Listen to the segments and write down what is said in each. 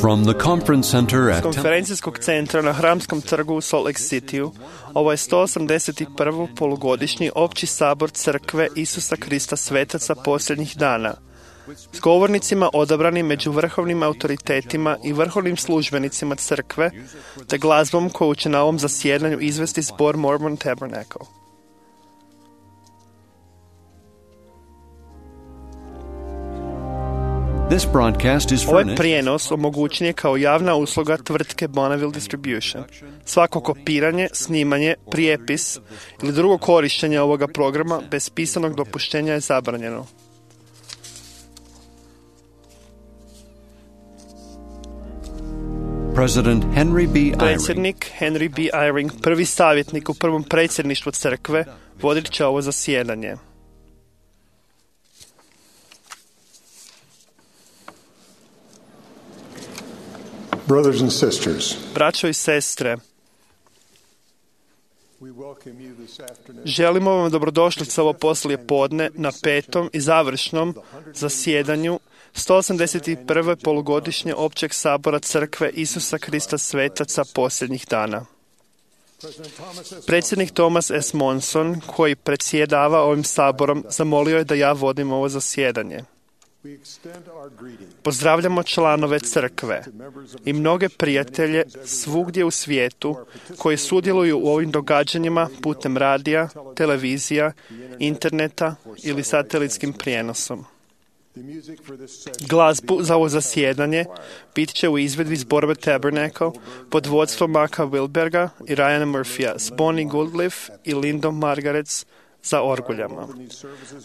From the conference center S at konferencijskog centra na Hramskom trgu u Salt Lake Cityu, ovo je 181. polugodišnji opći sabor Crkve Isusa Krista Svetaca posljednjih dana, s govornicima odabranim među vrhovnim autoritetima i vrhovnim službenicima Crkve, te glazbom koju će na ovom zasjedanju izvesti zbor Mormon Tabernacle. This broadcast is Ovaj furnished prijenos omogućen je kao javna usluga tvrtke Bonneville Distribution. Svako kopiranje, snimanje, prijepis ili drugo korištenje ovoga programa bez pisanog dopuštenja je zabranjeno. President Henry B. Eyring Predsjednik Henry B. Eyring, prvi savjetnik u prvom predsjedništvu crkve, vodit će ovo zasjedanje. Brothers and sisters, Braćo i sestre, we welcome you this afternoon želimo vam dobrodošlicu ovo poslije podne na petom i završnom zasjedanju 181. polugodišnje općeg sabora Crkve Isusa Krista Svetaca posljednjih dana. Predsjednik Thomas S. Monson, koji predsjedava ovim saborom, zamolio je da ja vodim ovo zasjedanje. we extend our greeting Pozdravljamo članove crkve i mnoge prijatelje svugdje u svijetu koji sudjeluju u ovim događanjima putem radija, televizija, interneta ili satelitskim prijenosom. the music for this session. Glazbu za ovo zasjedanje bit će u izvedbi zborove Tabernacle pod vodstvom Maka Wilberga i Ryana Murphya s Bonnie Goodliff i Lindom Margarets za orguljama.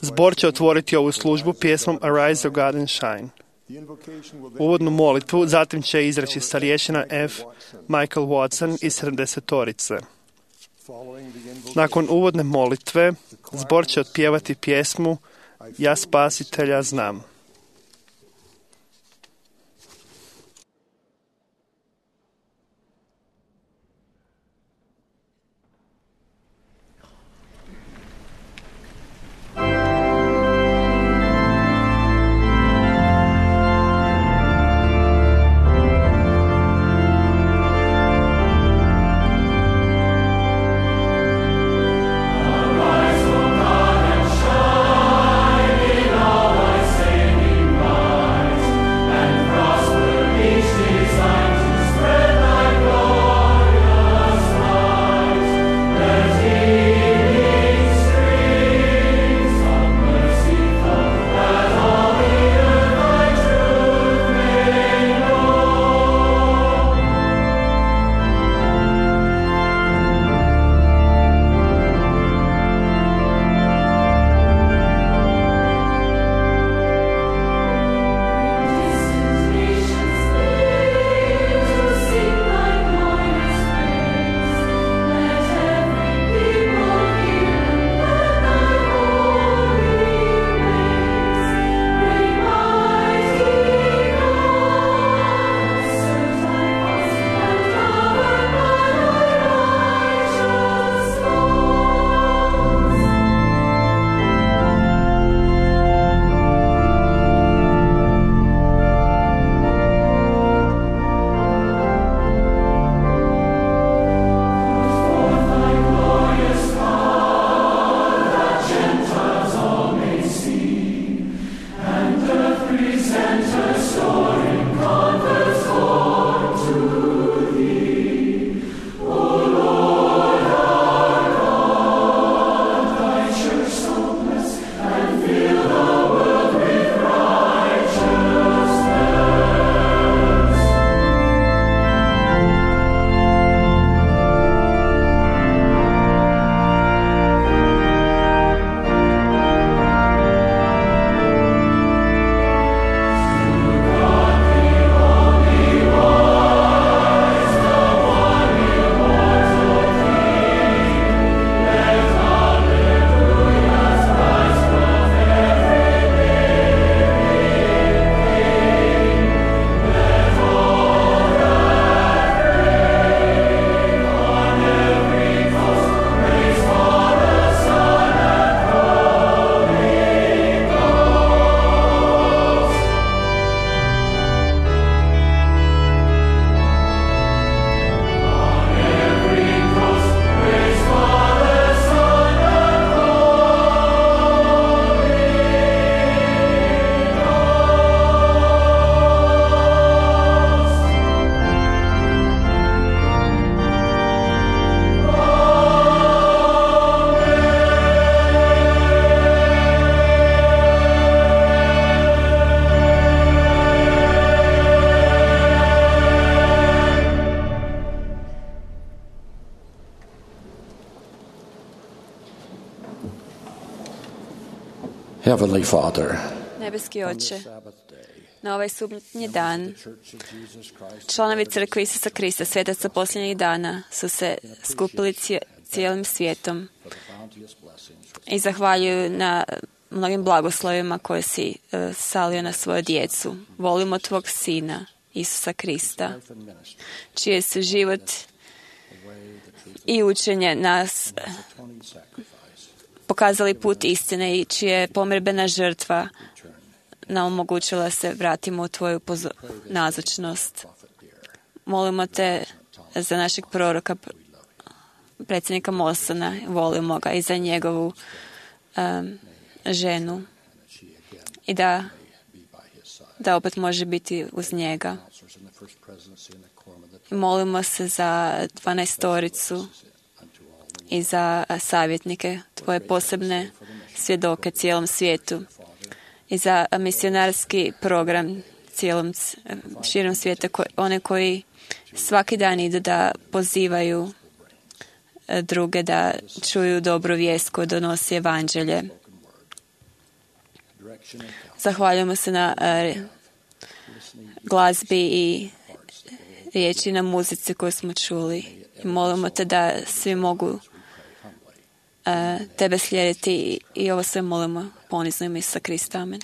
Zbor će otvoriti ovu službu pjesmom Arise, O God, and Shine. The invocation will then Uvodnu molitvu zatim će izreći starješina F. Michael Watson iz 70-torice. following the invocation. Nakon uvodne molitve, zbor će otpjevati pjesmu Ja spasitelja znam. Arise, O God, and shine in all thy saints. Heavenly Father, Nebeski on this Oče, Sabbath day, na ovaj subotnji dan, the Church of Jesus Christ, članovi crkve Isusa Krista, svetaca posljednjih dana, su se skupili cijelim svijetom for the bounteous blessings i zahvaljuju na mnogim blagoslovima koje si salio na svoju djecu. Volimo tvog Sina, Isusa Krista, life and ministry, čije su život the way, the truth, i učenje nas and His atoning sacrifice pokazali put istine i čije je pomirbena žrtva return. nam omogućila se vratimo u tvoju nazočnost. Prophet dear, Molimo te za našeg proroka, predsjednika Mosona, volimo ga, i za njegovu ženu i da be by His side. da opet može biti uz njega. Counselors in the first presidency and the quorum of the I molimo se za 12-toricu unto all the i za savjetnike, tvoje posebne svjedoke cijelom svijetu i za misionarski program širom svijeta, one koji svaki dan idu da pozivaju druge da čuju dobru vijest koju donosi evanđelje. direction and counsel, Zahvaljujemo se na glazbi i riječi na muzici koju smo čuli. I molimo te da svi mogu tebe slijediti i ovo sve molimo ponizno ime Isusa Krista. Amen.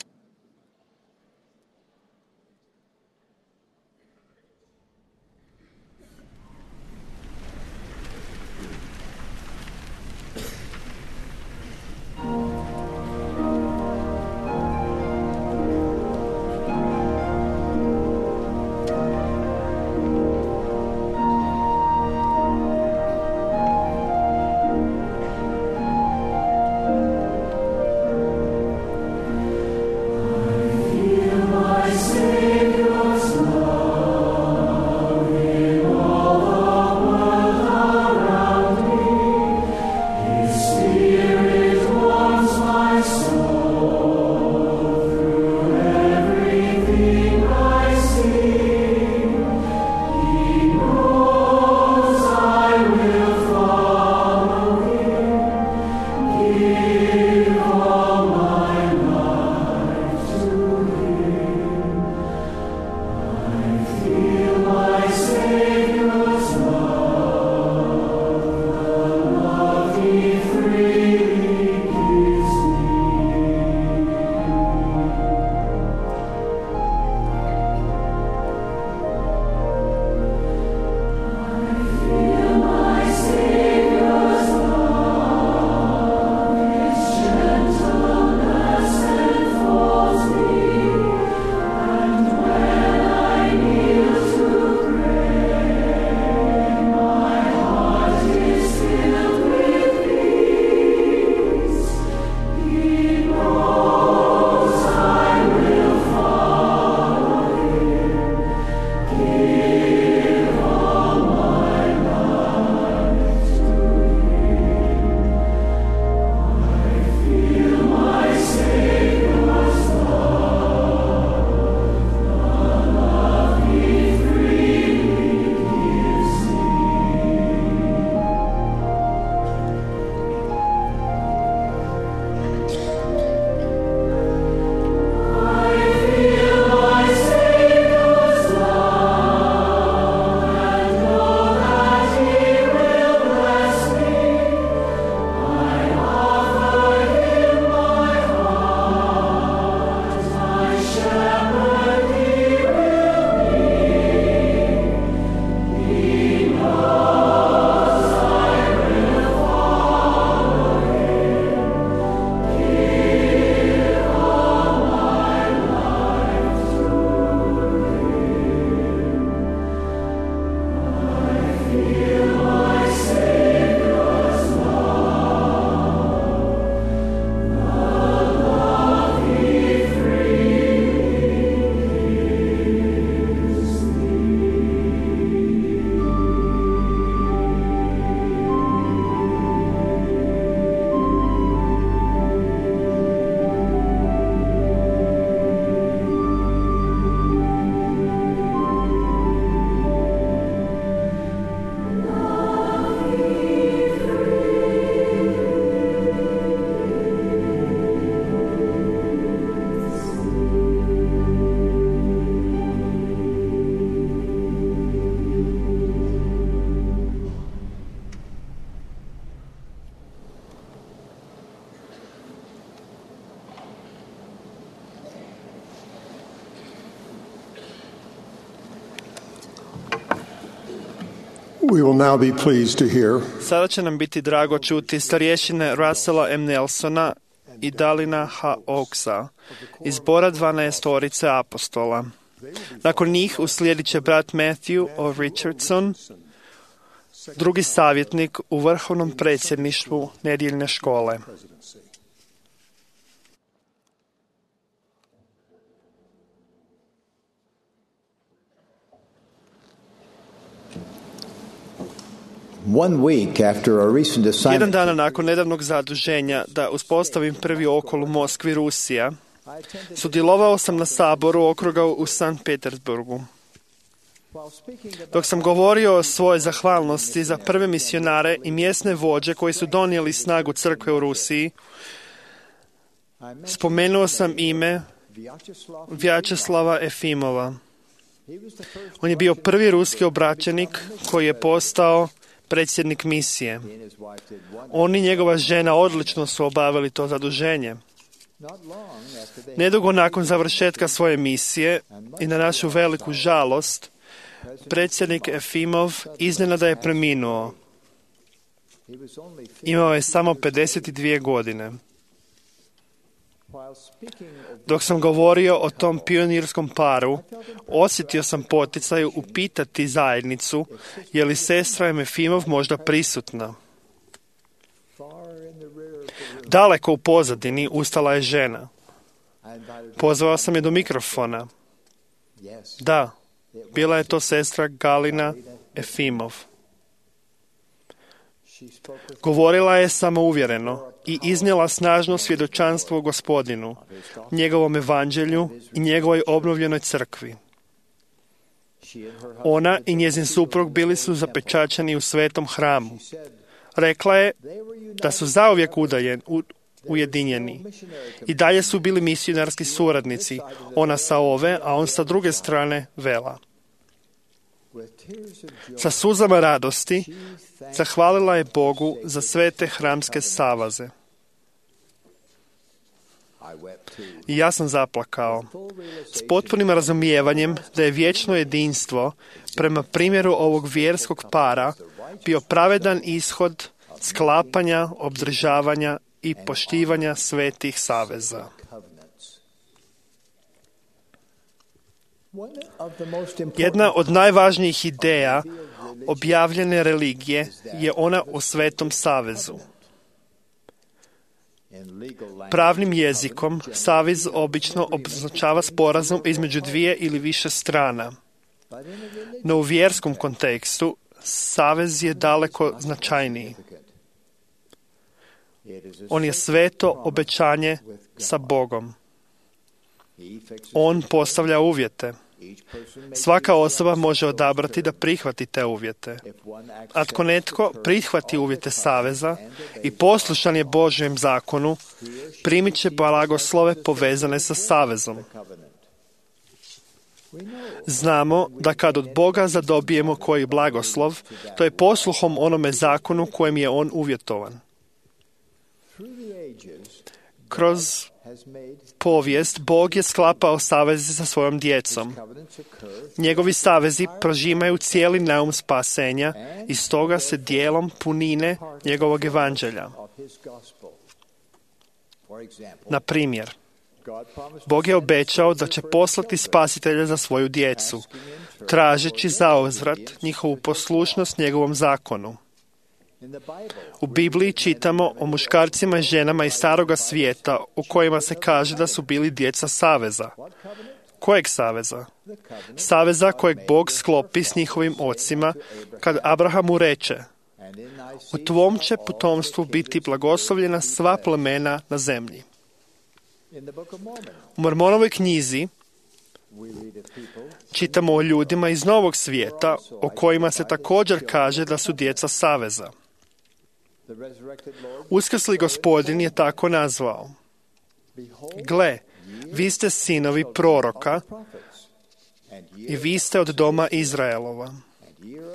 We will now be pleased to hear Sada će nam biti drago čuti starješine Russella M. Nelsona i Dalina H. Oaksa iz zbora 12 apostola. Nakon njih uslijedit će brat Matthew O. Richardson, drugi savjetnik u vrhovnom predsjedništvu nedjeljne škole. Jedan dan nakon nedavnog zaduženja da uspostavim prvi okol u Moskvi, Rusija, sudjelovao sam na saboru okruga u Sankt Petersburgu. Dok sam govorio o svojoj zahvalnosti za prve misionare i mjesne vođe koji su donijeli snagu crkve u Rusiji, spomenuo sam ime Vjačeslava Efimova. On je bio prvi ruski obraćenik koji je postao predsjednik misije. On i njegova žena odlično su obavili to zaduženje. Nedugo nakon završetka svoje misije i na našu veliku žalost, predsjednik Efimov iznenada je preminuo. Imao je samo 52 godine. Dok sam govorio o tom pionirskom paru, osjetio sam poticaj upitati zajednicu je li sestra Efimov možda prisutna. Daleko u pozadini ustala je žena. Pozvao sam je do mikrofona. Da, bila je to sestra Galina Efimov. Govorila je samouvjereno i iznijela snažno svjedočanstvo o Gospodinu, njegovom evanđelju i njegovoj obnovljenoj crkvi. Ona i njezin suprug bili su zapečaćeni u svetom hramu. Rekla je da su zauvijek ujedinjeni. I dalje su bili misionarski suradnici, ona sa ove, a on sa druge strane vela. Sa suzama radosti zahvalila je Bogu za sve te hramske savaze. I ja sam zaplakao, s potpunim razumijevanjem da je vječno jedinstvo, prema primjeru ovog vjerskog para, bio pravedan ishod sklapanja, obdržavanja i poštivanja svetih saveza. Jedna od najvažnijih ideja objavljene religije je ona o Svetom savezu. Pravnim jezikom savez obično označava sporazum između dvije ili više strana. No u vjerskom kontekstu savez je daleko značajniji. On je sveto obećanje sa Bogom. On postavlja uvjete. Svaka osoba može odabrati da prihvati te uvjete. Ako netko prihvati uvjete saveza i poslušan je Božjem zakonu, primit će blagoslove povezane sa savezom. Znamo da kad od Boga zadobijemo koji blagoslov, to je posluhom onome zakonu kojem je on uvjetovan. Kroz povijest Bog je sklapao saveze sa svojom djecom. Njegovi savezi prožimaju cijeli naum spasenja i stoga se dijelom punine njegovog evanđelja. Na primjer, Bog je obećao da će poslati spasitelja za svoju djecu, tražeći zauzvrat njihovu poslušnost njegovom zakonu. U Bibliji čitamo o muškarcima i ženama iz staroga svijeta u kojima se kaže da su bili djeca saveza. Kojeg saveza? Saveza kojeg Bog sklopi s njihovim ocima kad Abrahamu reče: u tvom će potomstvu biti blagoslovljena sva plemena na zemlji. U Mormonovoj knjizi čitamo o ljudima iz Novog svijeta o kojima se također kaže da su djeca saveza. Uskrsli Gospodin je tako nazvao: gle, vi ste sinovi proroka i vi ste od doma Izraelova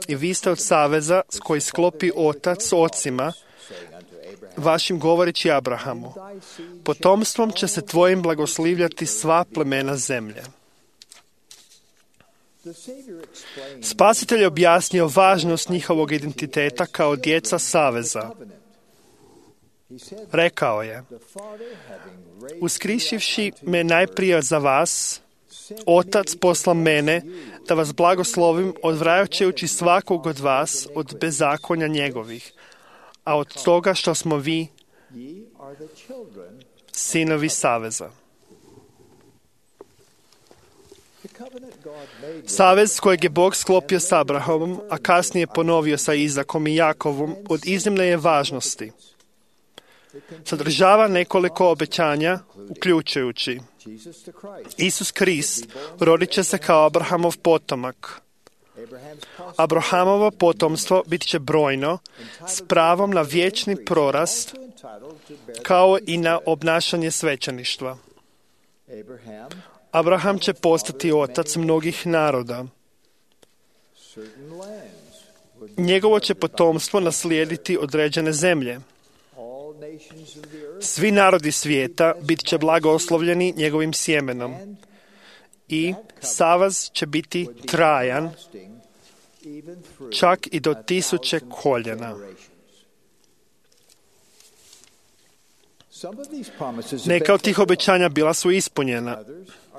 i vi ste od saveza s koji sklopi otac s ocima vašim govoreći Abrahamu: potomstvom će se tvojim blagoslivljati sva plemena zemlje. Spasitelj je objasnio važnost njihovog identiteta kao djeca saveza. Rekao je: uskrišivši me najprije za vas, Otac posla mene da vas blagoslovim, odvraćajući svakog od vas od bezakonja njegovih, a od toga što smo vi sinovi saveza. Savez kojeg je Bog sklopio s Abrahamom, a kasnije ponovio sa Izakom i Jakovom, od iznimne je važnosti. Sadržava nekoliko obećanja, uključujući: Isus Krist rodit će se kao Abrahamov potomak. Abrahamovo potomstvo bit će brojno, s pravom na vječni prorast, kao i na obnašanje svećeništva. Abraham će postati otac mnogih naroda. Njegovo će potomstvo naslijediti određene zemlje. Svi narodi svijeta bit će blagoslovljeni njegovim sjemenom i savez će biti trajan, čak i do 1000 koljena. Neka od tih obećanja bila su ispunjena,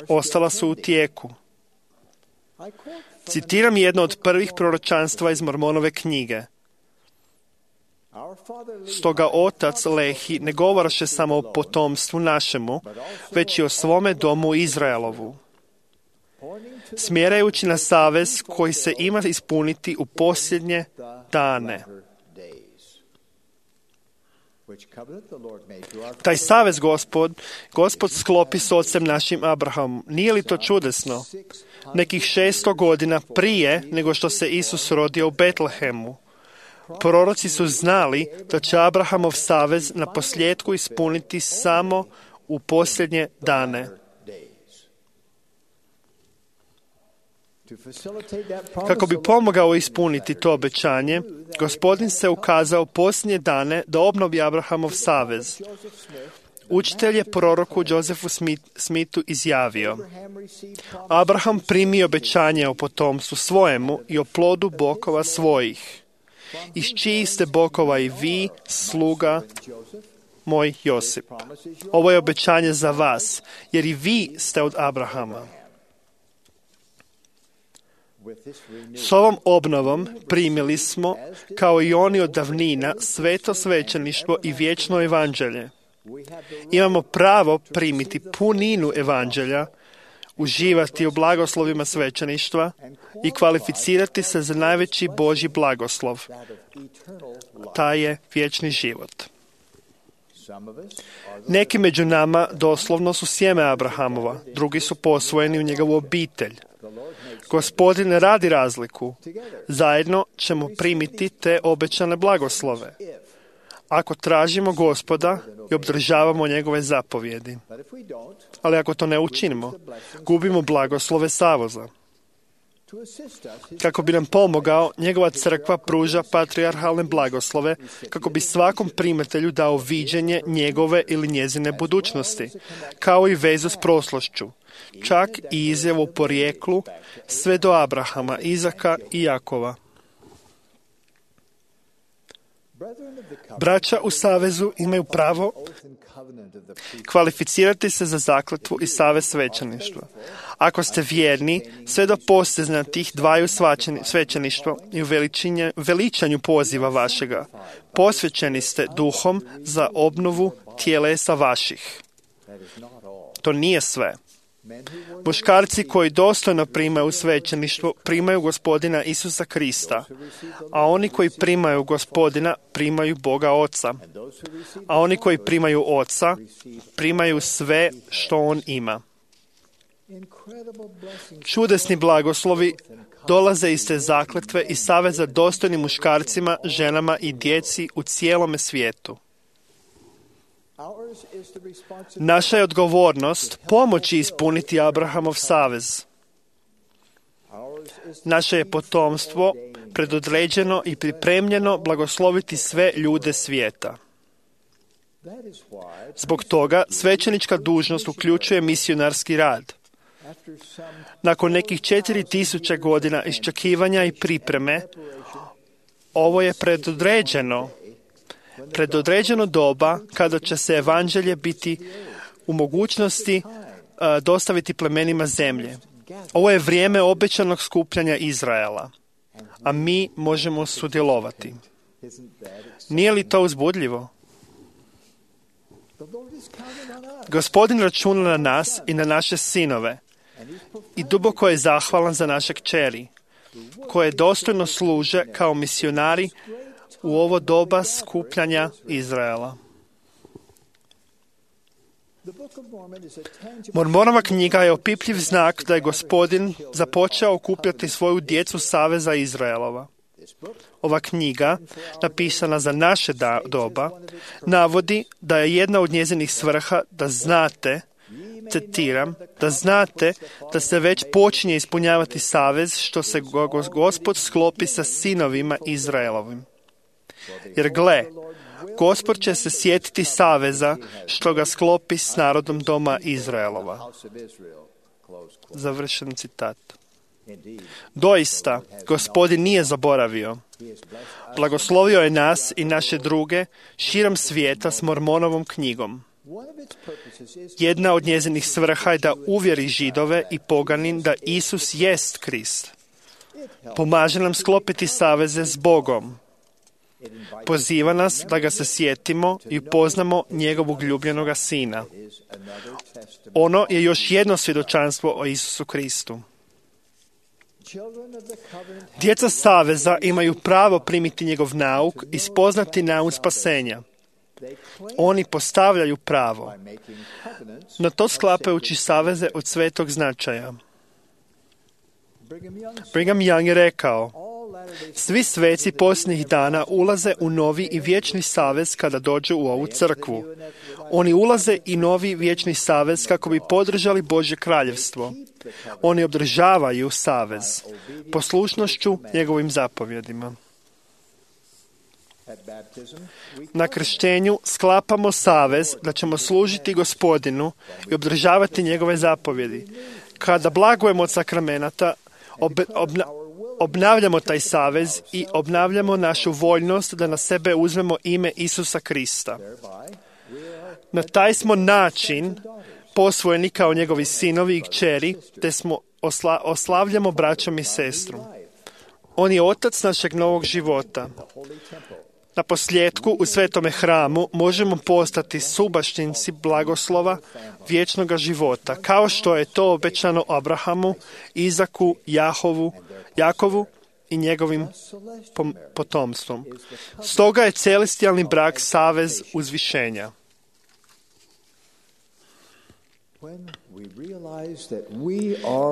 ostala su u tijeku. Citiram jedno od prvih proročanstva iz Mormonove knjige. Stoga otac Lehi ne govorše samo o potomstvu našemu, već i o svome domu Izraelovu, smjerajući na savez koji se ima ispuniti u posljednje dane. Taj savez Gospod sklopi s ocem našim Abrahamom. Nije li to čudesno? Nekih 600 godina prije nego što se Isus rodio u Betlehemu, proroci su znali da će Abrahamov savez na posljedku ispuniti samo u posljednje dane. Kako bi pomogao ispuniti to obećanje, Gospodin se ukazao posljednje dane da obnovi Abrahamov savez. Učitelj je proroku Josefu Smithu izjavio: Abraham primi obećanje o potomstvu svojemu i o plodu bokova svojih, iz čijih ste bokova i vi, sluga moj Josip. Ovo je obećanje za vas, jer i vi ste od Abrahama. S ovom obnovom primili smo, kao i oni od davnina, sveto svećeništvo i vječno evanđelje. Imamo pravo primiti puninu evanđelja, uživati u blagoslovima svećeništva i kvalificirati se za najveći Božji blagoslov. Taj je vječni život. Neki među nama doslovno su sjeme Abrahamova, drugi su posvojeni u njegovu obitelj. Gospodin ne radi razliku. Zajedno ćemo primiti te obećane blagoslove, ako tražimo Gospoda i obdržavamo njegove zapovjedi. Ali ako to ne učinimo, gubimo blagoslove saveza. Kako bi nam pomogao, njegova crkva pruža patrijarhalne blagoslove, kako bi svakom primatelju dao viđenje njegove ili njezine budućnosti, kao i vezu s prošlošću, čak i izjavu o porijeklu, sve do Abrahama, Izaka i Jakova. Braća u savezu imaju pravo kvalificirati se za zakletvu i savez svećeništva. Ako ste vjerni, sve do postizanja tih dvaju svećeništva i u veličanju poziva vašega, posvećeni ste duhom za obnovu tijelesa vaših. To nije sve. Muškarci koji dostojno primaju svećeništvo primaju Gospodina Isusa Krista, a oni koji primaju Gospodina primaju Boga Oca, a oni koji primaju Oca primaju sve što On ima. Čudesni blagoslovi dolaze iz te zakletve i saveza dostojnim muškarcima, ženama i djeci u cijelome svijetu. Naša je odgovornost pomoći ispuniti Abrahamov savez. Naše je potomstvo predodređeno i pripremljeno blagosloviti sve ljude svijeta. Zbog toga svećenička dužnost uključuje misionarski rad. Nakon nekih 4000 godina iščekivanja i pripreme, ovo je predodređeno doba kada će se evanđelje biti u mogućnosti dostaviti plemenima zemlje. Ovo je vrijeme obećanog skupljanja Izraela, a mi možemo sudjelovati. Nije li to uzbudljivo? Gospodin računa na nas i na naše sinove i duboko je zahvalan za naše kćeri, koje dostojno služe kao misionari u ovo doba skupljanja Izraela. Mormonova knjiga je opipljiv znak da je Gospodin započeo okupljati svoju djecu Saveza Izraelova. Ova knjiga, napisana za naše doba, navodi da je jedna od njezinih svrha da znate, citiram, da znate da se već počinje ispunjavati savez što se Gospod sklopi sa sinovima Izraelovim. Jer gle, Gospod će se sjetiti saveza što ga sklopi s narodom doma Izraelova. Završen citat. Doista, Gospodin nije zaboravio. Blagoslovio je nas i naše druge širom svijeta s Mormonovom knjigom. Jedna od njezinih svrha je da uvjeri Židove i poganin da Isus jest Krist. Pomaže nam sklopiti saveze s Bogom. Poziva nas da ga se sjetimo i upoznamo njegovog ljubljenoga Sina. Ono je još jedno svjedočanstvo o Isusu Kristu. Djeca Saveza imaju pravo primiti njegov nauk i spoznati nauk spasenja. Oni postavljaju pravo, no to sklapajući saveze od svetog značaja. Brigham Young je rekao, svi sveci posljednjih dana ulaze u novi i vječni savez kada dođu u ovu crkvu. Oni ulaze i novi vječni savez kako bi podržali Božje kraljevstvo. Oni održavaju savez poslušnošću njegovim zapovjedima. Na krštenju sklapamo savez da ćemo služiti Gospodinu i održavati njegove zapovjedi. Kada blagujemo od sakramenata, obnavljamo taj savez i obnavljamo našu voljnost da na sebe uzmemo ime Isusa Krista. Na taj smo način posvojeni kao njegovi sinovi i kćeri, te smo oslavljamo braćom i sestrom. On je otac našeg novog života. Na posljedku u svetome hramu možemo postati subaštinci blagoslova vječnoga života, kao što je to obećano Abrahamu, Izaku, Jakovu i njegovim potomstvom. Stoga je celestijalni brak savez uzvišenja.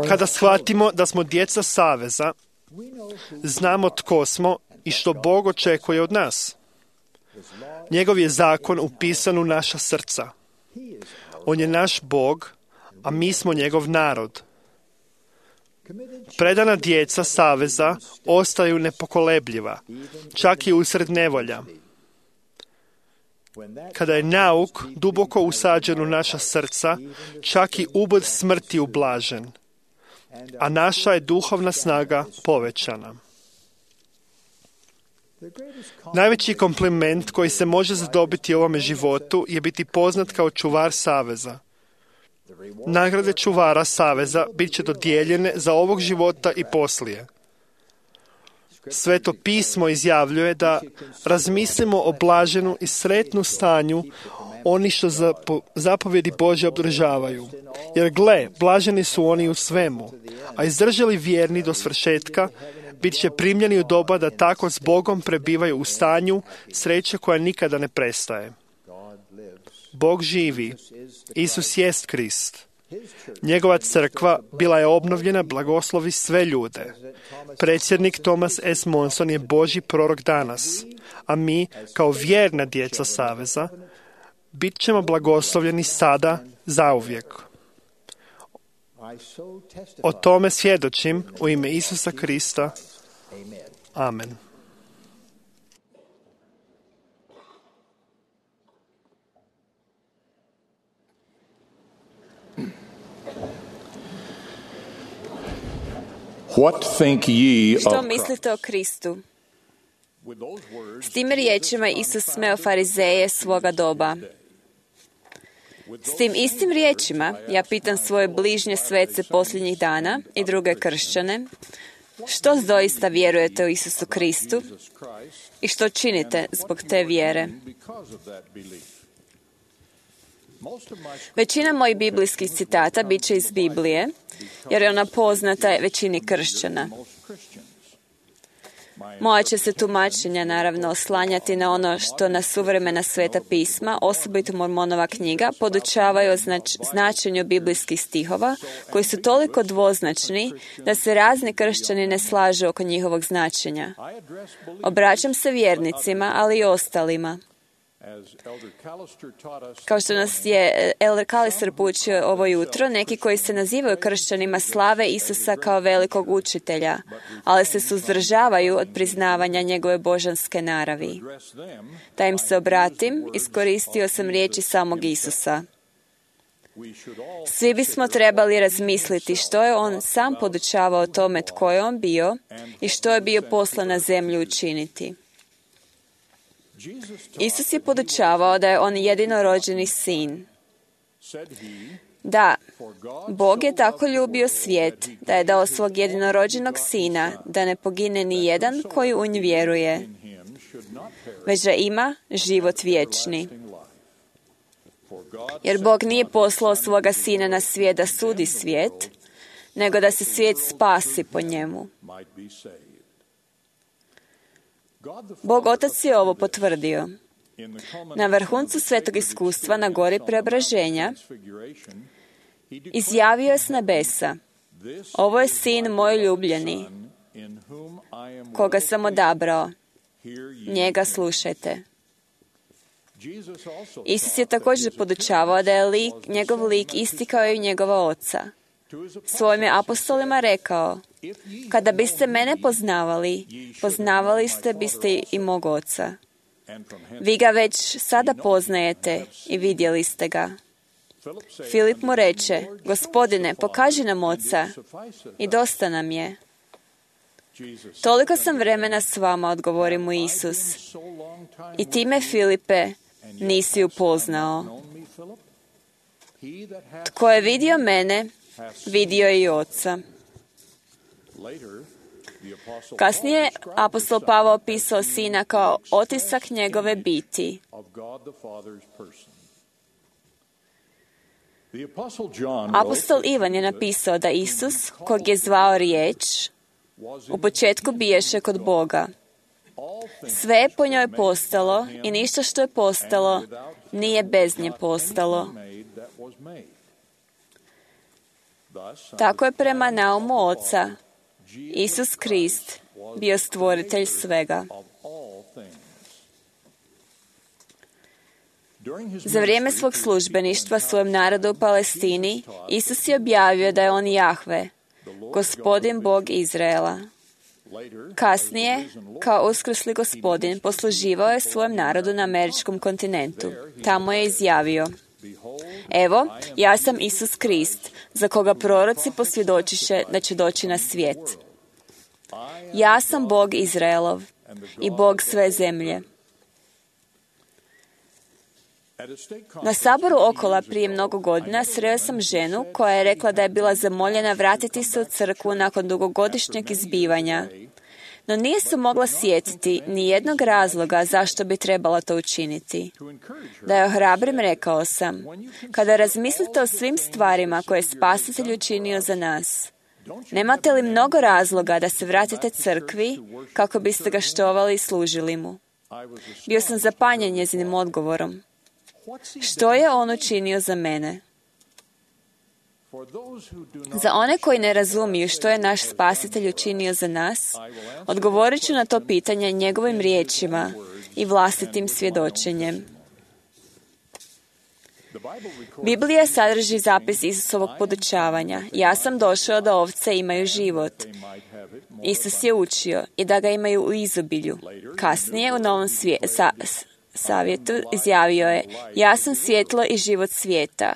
Kada shvatimo da smo djeca saveza, znamo tko smo i što Bog očekuje od nas. Njegov je zakon upisan u naša srca. On je naš Bog, a mi smo njegov narod. Predana djeca saveza ostaju nepokolebljiva, čak i usred nevolja. Kada je nauk duboko usađen u naša srca, čak i ubod smrti ublažen, a naša je duhovna snaga povećana. Najveći kompliment koji se može zadobiti u ovome životu je biti poznat kao čuvar saveza. Nagrade čuvara saveza bit će dodijeljene za ovog života i poslije. Sveto pismo izjavljuje da razmislimo o blaženu i sretnu stanju oni što zapovjedi Božje obdržavaju. Jer gle, blaženi su oni u svemu, a izdržali vjerni do svršetka, bit će primljeni u doba da tako s Bogom prebivaju u stanju sreće koja nikada ne prestaje. Bog živi. Isus jest Krist. Njegova crkva bila je obnovljena, blagoslovi sve ljude. Predsjednik Thomas S. Monson je Božji prorok danas, a mi, kao vjerna djeca saveza, bit ćemo blagoslovljeni sada zauvijek. O tome svjedočim u ime Isusa Krista. Amen. What think ye Što of Christ? mislite o Kristu? S tim riječima Isus smeo farizeje svoga doba. S tim istim riječima ja pitam svoje bližnje svece posljednjih dana i druge kršćane, što doista vjerujete u Isusu Kristu i što činite zbog te vjere? Većina mojih biblijskih citata bit će iz Biblije, jer je ona poznata većini kršćana. Moja će se tumačenja naravno oslanjati na ono što na suvremena sveta pisma, osobito Mormonova knjiga, podučavaju o značenju biblijskih stihova, koji su toliko dvoznačni da se razni kršćani ne slažu oko njihovog značenja. Obraćam se vjernicima, ali i ostalima. Kao što nas je Elder Kalister poučio ovo jutro, neki koji se nazivaju kršćanima slave Isusa kao velikog učitelja, ali se suzdržavaju od priznavanja njegove božanske naravi. Da im se obratim, iskoristio sam riječi samog Isusa. Svi bismo trebali razmisliti što je on sam podučavao o tome tko je on bio i što je bio poslan na zemlju učiniti. Isus je podučavao da je on jedinorođeni sin. Da, Bog je tako ljubio svijet da je dao svog jedinorođenog sina da ne pogine ni jedan koji u nj vjeruje, već da ima život vječni. Jer Bog nije poslao svoga sina na svijet da sudi svijet, nego da se svijet spasi po njemu. Bog Otac je ovo potvrdio. Na vrhuncu svetog iskustva na gori preobraženja izjavio je s nebesa: ovo je sin moj ljubljeni, koga sam odabrao. Njega slušajte. Isus je također podučavao da je njegov lik isti kao i njegova oca. Svojim je apostolima rekao: kada biste mene poznavali, poznavali biste i mog oca. Vi ga već sada poznajete i vidjeli ste ga. Filip mu reče: Gospodine, pokaži nam oca i dosta nam je. Toliko sam vremena s vama, odgovori mu Isus. I time, Filipe, nisi upoznao. Tko je vidio mene, vidio je i oca. Kasnije apostol Pavao opisao sina kao otisak njegove biti. Apostol Ivan je napisao da Isus, kog je zvao riječ, u početku biješe kod Boga. Sve je po njoj postalo i ništa što je postalo nije bez nje postalo. Tako je prema naumu Oca Isus Krist bio stvoritelj svega. Za vrijeme svog službeništva svojem narodu u Palestini, Isus je objavio da je on Jahve, Gospodin Bog Izraela. Kasnije, kao uskrsli Gospodin, posluživao je svojem narodu na američkom kontinentu. Tamo je izjavio: evo, ja sam Isus Krist, za koga proroci posvjedočiše da će doći na svijet. Ja sam Bog Izraelov i Bog sve zemlje. Na saboru Okola prije mnogo godina sreo sam ženu koja je rekla da je bila zamoljena vratiti se u crkvu nakon dugogodišnjeg izbivanja, no nije se mogla sjetiti ni jednog razloga zašto bi trebala to učiniti. Da je ohrabrim, rekao sam: kada razmislite o svim stvarima koje je Spasitelj učinio za nas, nemate li mnogo razloga da se vratite crkvi kako biste ga štovali i služili mu? Bio sam zapanjen njezinim odgovorom. Što je on učinio za mene? Za one koji ne razumiju što je naš Spasitelj učinio za nas, odgovorit ću na to pitanje njegovim riječima i vlastitim svjedočenjem. Biblija sadrži zapis Isusovog podučavanja: ja sam došao da ovce imaju život. Isus je učio i da ga imaju u izobilju. Kasnije u Novom Zavjetu izjavio je: ja sam svjetlo i život svijeta.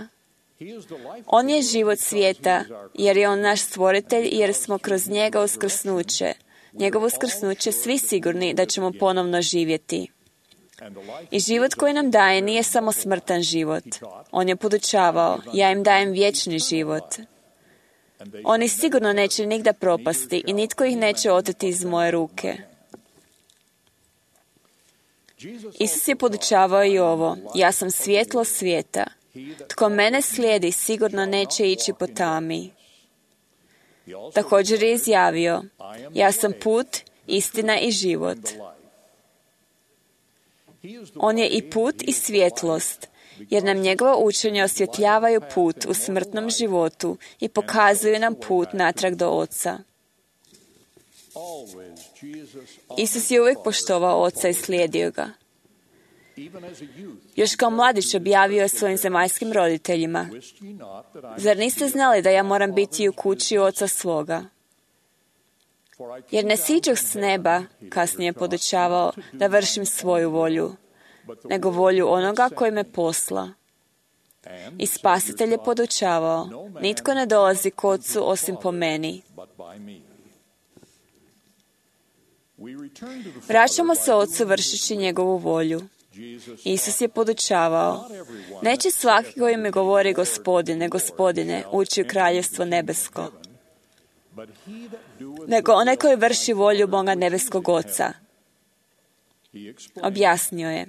On je život svijeta, jer je On naš stvoritelj i jer smo kroz njega uskrsnuće. Njegovo uskrsnuće svi sigurni da ćemo ponovno živjeti. I život koji nam daje nije samo smrtan život. On je podučavao, ja im dajem vječni život. Oni sigurno neće nigda propasti i nitko ih neće oteti iz moje ruke. Isus je podučavao i ovo, ja sam svjetlo svijeta. Tko mene slijedi sigurno neće ići po tami. Također je izjavio, ja sam put, istina i život. On je i put i svjetlost, jer nam njegova učenja osvjetljavaju put u smrtnom životu i pokazuju nam put natrag do Oca. Isus je uvijek poštovao Oca i slijedio ga. Još kao mladić objavio je svojim zemaljskim roditeljima, zar niste znali da ja moram biti u kući Oca svoga? Jer ne siđoh s neba, kasnije je podučavao, da vršim svoju volju, nego volju onoga koji me posla. I Spasitelj je podučavao, nitko ne dolazi k Ocu osim po meni. Vraćamo se Ocu vršeći njegovu volju. Isus je podučavao, neće svaki koji mi govori Gospodine, Gospodine, ući u kraljevstvo nebesko, nego onaj koji vrši volju Boga nebeskog Oca. Objasnio je,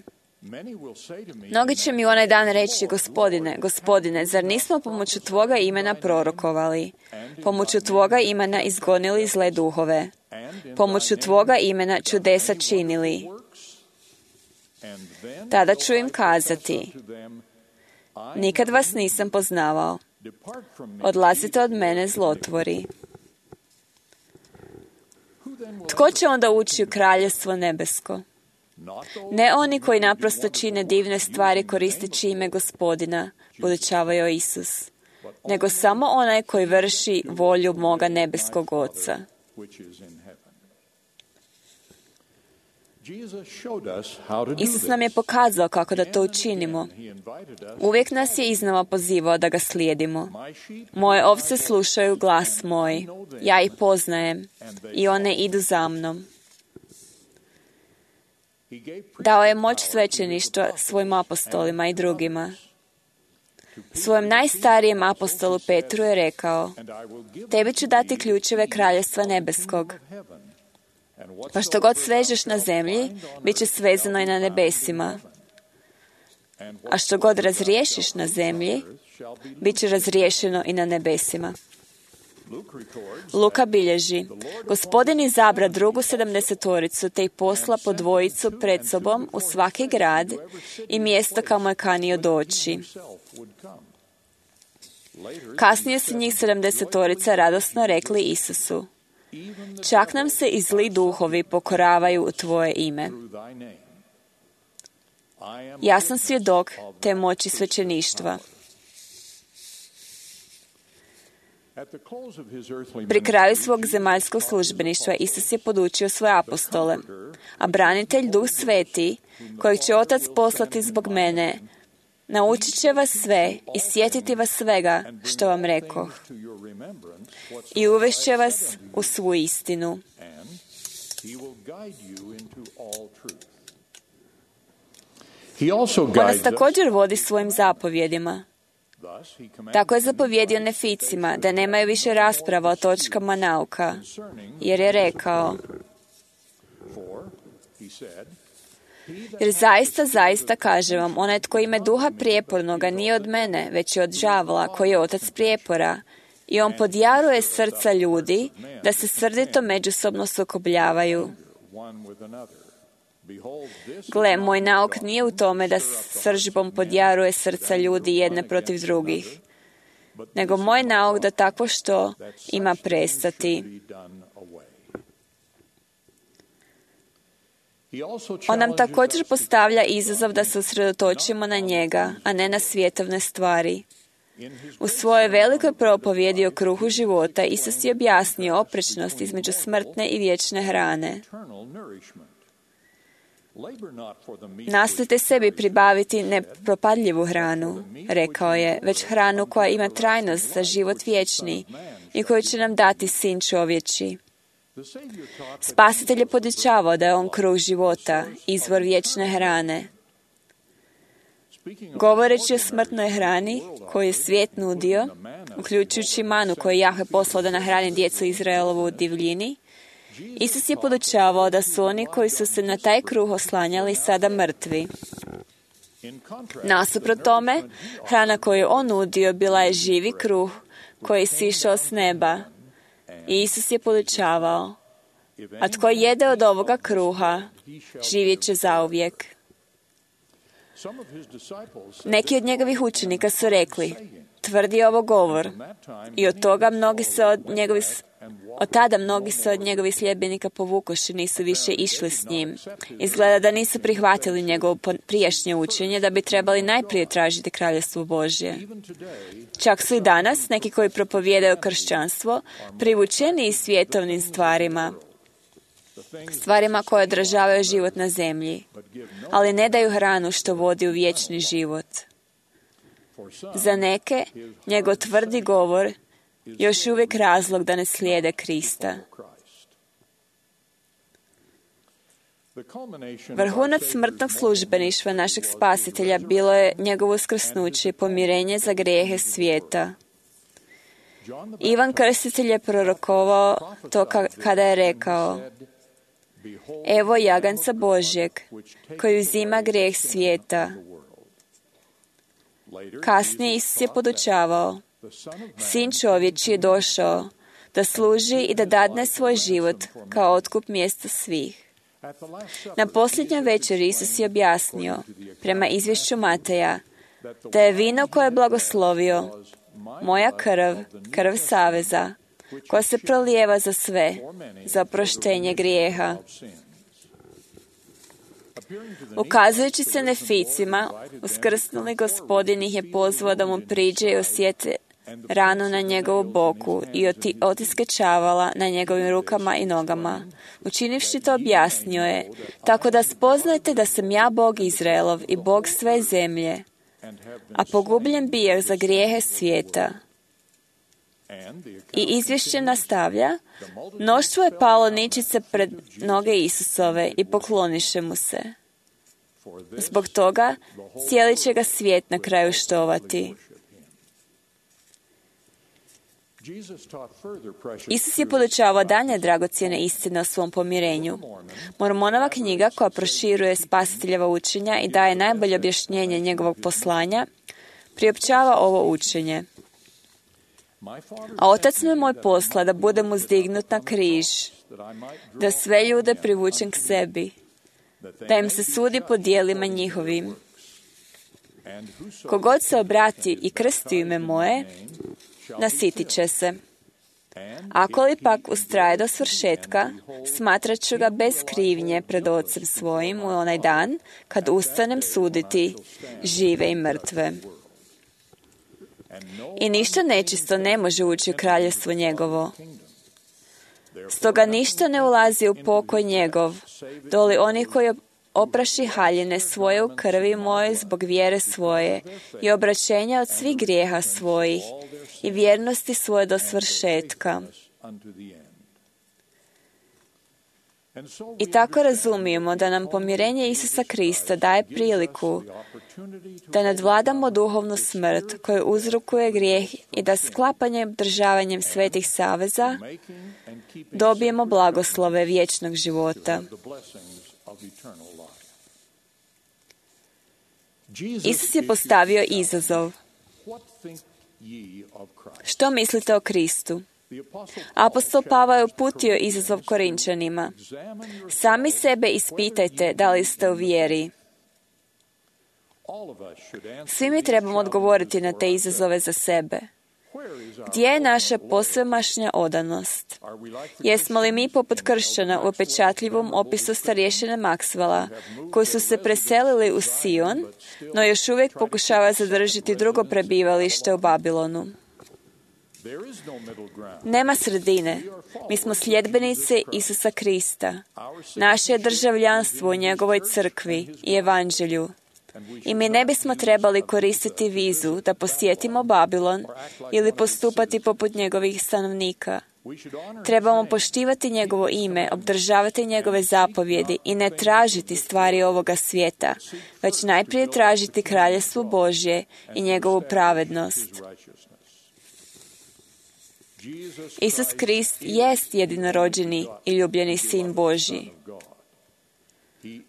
mnogi će mi onaj dan reći, Gospodine, Gospodine, zar nismo pomoću Tvoga imena prorokovali, pomoću Tvoga imena izgonili zle duhove, pomoću Tvoga imena čudesa činili? Tada ću im kazati, nikad vas nisam poznavao. Odlazite od mene, zlotvori. Tko će onda ući u kraljevstvo nebesko? Ne oni koji naprosto čine divne stvari koristeći ime Gospodina, podučavao Isus, nego samo onaj koji vrši volju moga nebeskog Oca. Isus nam je pokazao kako da to učinimo. Uvijek nas je iznova pozivao da ga slijedimo. Moje ovce slušaju glas moj, ja ih poznajem i one idu za mnom. Dao je moć svećeništva svojim apostolima i drugima. Svojem najstarijem apostolu Petru je rekao, tebi ću dati ključeve kraljevstva nebeskog. Pa što god svežeš na zemlji, bit će svezano i na nebesima. A što god razriješiš na zemlji, bit će razriješeno i na nebesima. Luka bilježi, Gospodin izabra drugu 70-toricu, te ih posla po dvojicu pred sobom u svaki grad i mjesto kamo je kanio doći. Kasnije su njih 70-torica radosno rekli Isusu, čak nam se i zli duhovi pokoravaju u Tvoje ime. Ja sam svjedok te moći svećeništva. Pri kraju svog zemaljskog službeništva Isus je podučio svoje apostole, a branitelj Duh Sveti, kojeg će Otac poslati zbog mene, naučit će vas sve i sjetiti vas svega što vam rekoh. I uvešće vas u svu istinu. On nas također vodi svojim zapovjedima. Tako je zapovjedio Neficima da nemaju više rasprava o točkama nauka, jer je rekao, jer zaista kažem vam, onaj tko ime duha prijepornoga nije od mene, već je od đavola, koji je otac prijepora, i on podjaruje srca ljudi da se srdito međusobno sukobljavaju. Gle, moj nauk nije u tome da sržbom podjaruje srca ljudi jedne protiv drugih, nego moj nauk da takvo što ima prestati. On nam također postavlja izazov da se usredotočimo na njega, a ne na svjetovne stvari. U svojoj velikoj propovjedi o kruhu života Isus je objasnio oprečnost između smrtne i vječne hrane. Nastojte sebi pribaviti nepropadljivu hranu, rekao je, već hranu koja ima trajnost za život vječni i koju će nam dati Sin čovječi. Spasitelj je podučavao da je on kruh života, izvor vječne hrane. Govoreći o smrtnoj hrani koju je svijet nudio, uključujući manu koju je Jahve poslao da nahrani djecu Izraelovu u divljini, Isus je podučavao da su oni koji su se na taj kruh oslanjali sada mrtvi. Nasuprot tome, hrana koju je on nudio bila je živi kruh koji je sišao s neba. I Isus je podučavao, a tko jede od ovoga kruha, živjet će zauvijek. Neki od njegovih učenika su rekli, tvrdi ovo govor, i od tada mnogi se od njegovih sljedbenika povukoši, nisu više išli s njim. Izgleda da nisu prihvatili njegovo prijašnje učenje, da bi trebali najprije tražiti kraljevstvo Božje. Čak su i danas neki koji propovijedaju kršćanstvo privučeni svjetovnim stvarima koje odražavaju život na zemlji, ali ne daju hranu što vodi u vječni život. Za neke, njegov tvrdi govor još uvijek razlog da ne slijede Krista. Vrhunac smrtnog službeništva našeg Spasitelja bilo je njegovo uskrsnuće i pomirenje za grijehe svijeta. Ivan Krstitelj je prorokovao to kada je rekao, evo jaganca Božjeg, koji uzima grijeh svijeta. Kasnije Isus je podučavao, Sin čovječi je došao da služi i da dadne svoj život kao otkup mjesta svih. Na posljednjoj večeri Isus je objasnio, prema izvješću Mateja, da je vino koje je blagoslovio, moja krv, krv saveza, koja se prolijeva za sve, za oproštenje grijeha. Ukazujući se neficima, uskrsnuli Gospodin ih je pozvao da mu priđe i osjete ranu na njegovu boku i otiske čavala na njegovim rukama i nogama. Učinivši to objasnio je, tako da spoznajte da sam ja Bog Izraelov i Bog sve zemlje, a pogubljen bijeh za grijehe svijeta. I izvješće nastavlja, mnoštvo je palo ničice pred noge Isusove i pokloniše mu se. Zbog toga cijeli će ga svijet na kraju štovati. Isus je podučavao dalje dragocjene istine o svom pomirenju. Mormonova knjiga, koja proširuje Spasiteljeva učenja i daje najbolje objašnjenje njegovog poslanja, priopćava ovo učenje. A Otac me moj posla da budem uzdignut na križ, da sve ljude privučem k sebi, da im se sudi po djelima njihovim. Kogod se obrati i krsti u ime moje, nasitit će se. Ako li pak ustraje do svršetka, smatrat ću ga bez krivnje pred Ocem svojim u onaj dan, kad ustanem suditi žive i mrtve. I ništa nečisto ne može ući u kraljevstvo njegovo. Stoga ništa ne ulazi u pokoj njegov, doli oni koji opraši haljine svoje u krvi moje zbog vjere svoje i obraćenja od svih grijeha svojih i vjernosti svoje do svršetka. I tako razumijemo da nam pomirenje Isusa Krista daje priliku da nadvladamo duhovnu smrt koju uzrokuje grijeh i da sklapanjem, održavanjem svetih saveza dobijemo blagoslove vječnog života. Isus je postavio izazov. Što mislite o Kristu? Apostol Pavao je uputio izazov Korinčanima. Sami sebe ispitajte da li ste u vjeri. Svi mi trebamo odgovoriti na te izazove za sebe. Gdje je naša posvemašnja odanost? Jesmo li mi poput kršćana u upečatljivom opisu starješine Maxwella, koji su se preselili u Sion, no još uvijek pokušavaju zadržati drugo prebivalište u Babilonu? Nema sredine. Mi smo sljedbenici Isusa Krista. Naše je državljanstvo u njegovoj crkvi i evanđelju. I mi ne bismo trebali koristiti vizu da posjetimo Babilon ili postupati poput njegovih stanovnika. Trebamo poštivati njegovo ime, obdržavati njegove zapovjedi i ne tražiti stvari ovoga svijeta, već najprije tražiti kraljevstvo Božje i njegovu pravednost. Isus Krist jest jedinorođeni i ljubljeni Sin Božji.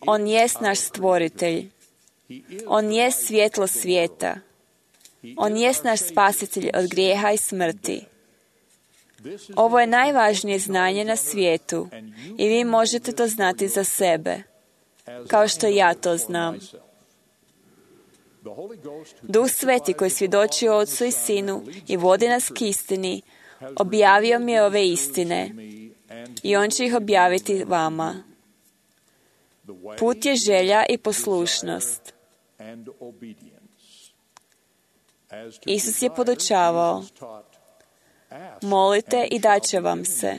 On jest naš stvoritelj. On jest svjetlo svijeta. On jest naš spasitelj od grijeha i smrti. Ovo je najvažnije znanje na svijetu i vi možete to znati za sebe, kao što ja to znam. Duh Sveti koji svjedoči o Otcu i Sinu i vodi nas k istini, objavio mi je ove istine i on će ih objaviti vama. Put je želja i poslušnost. Isus je podučavao: molite i dat će vam se.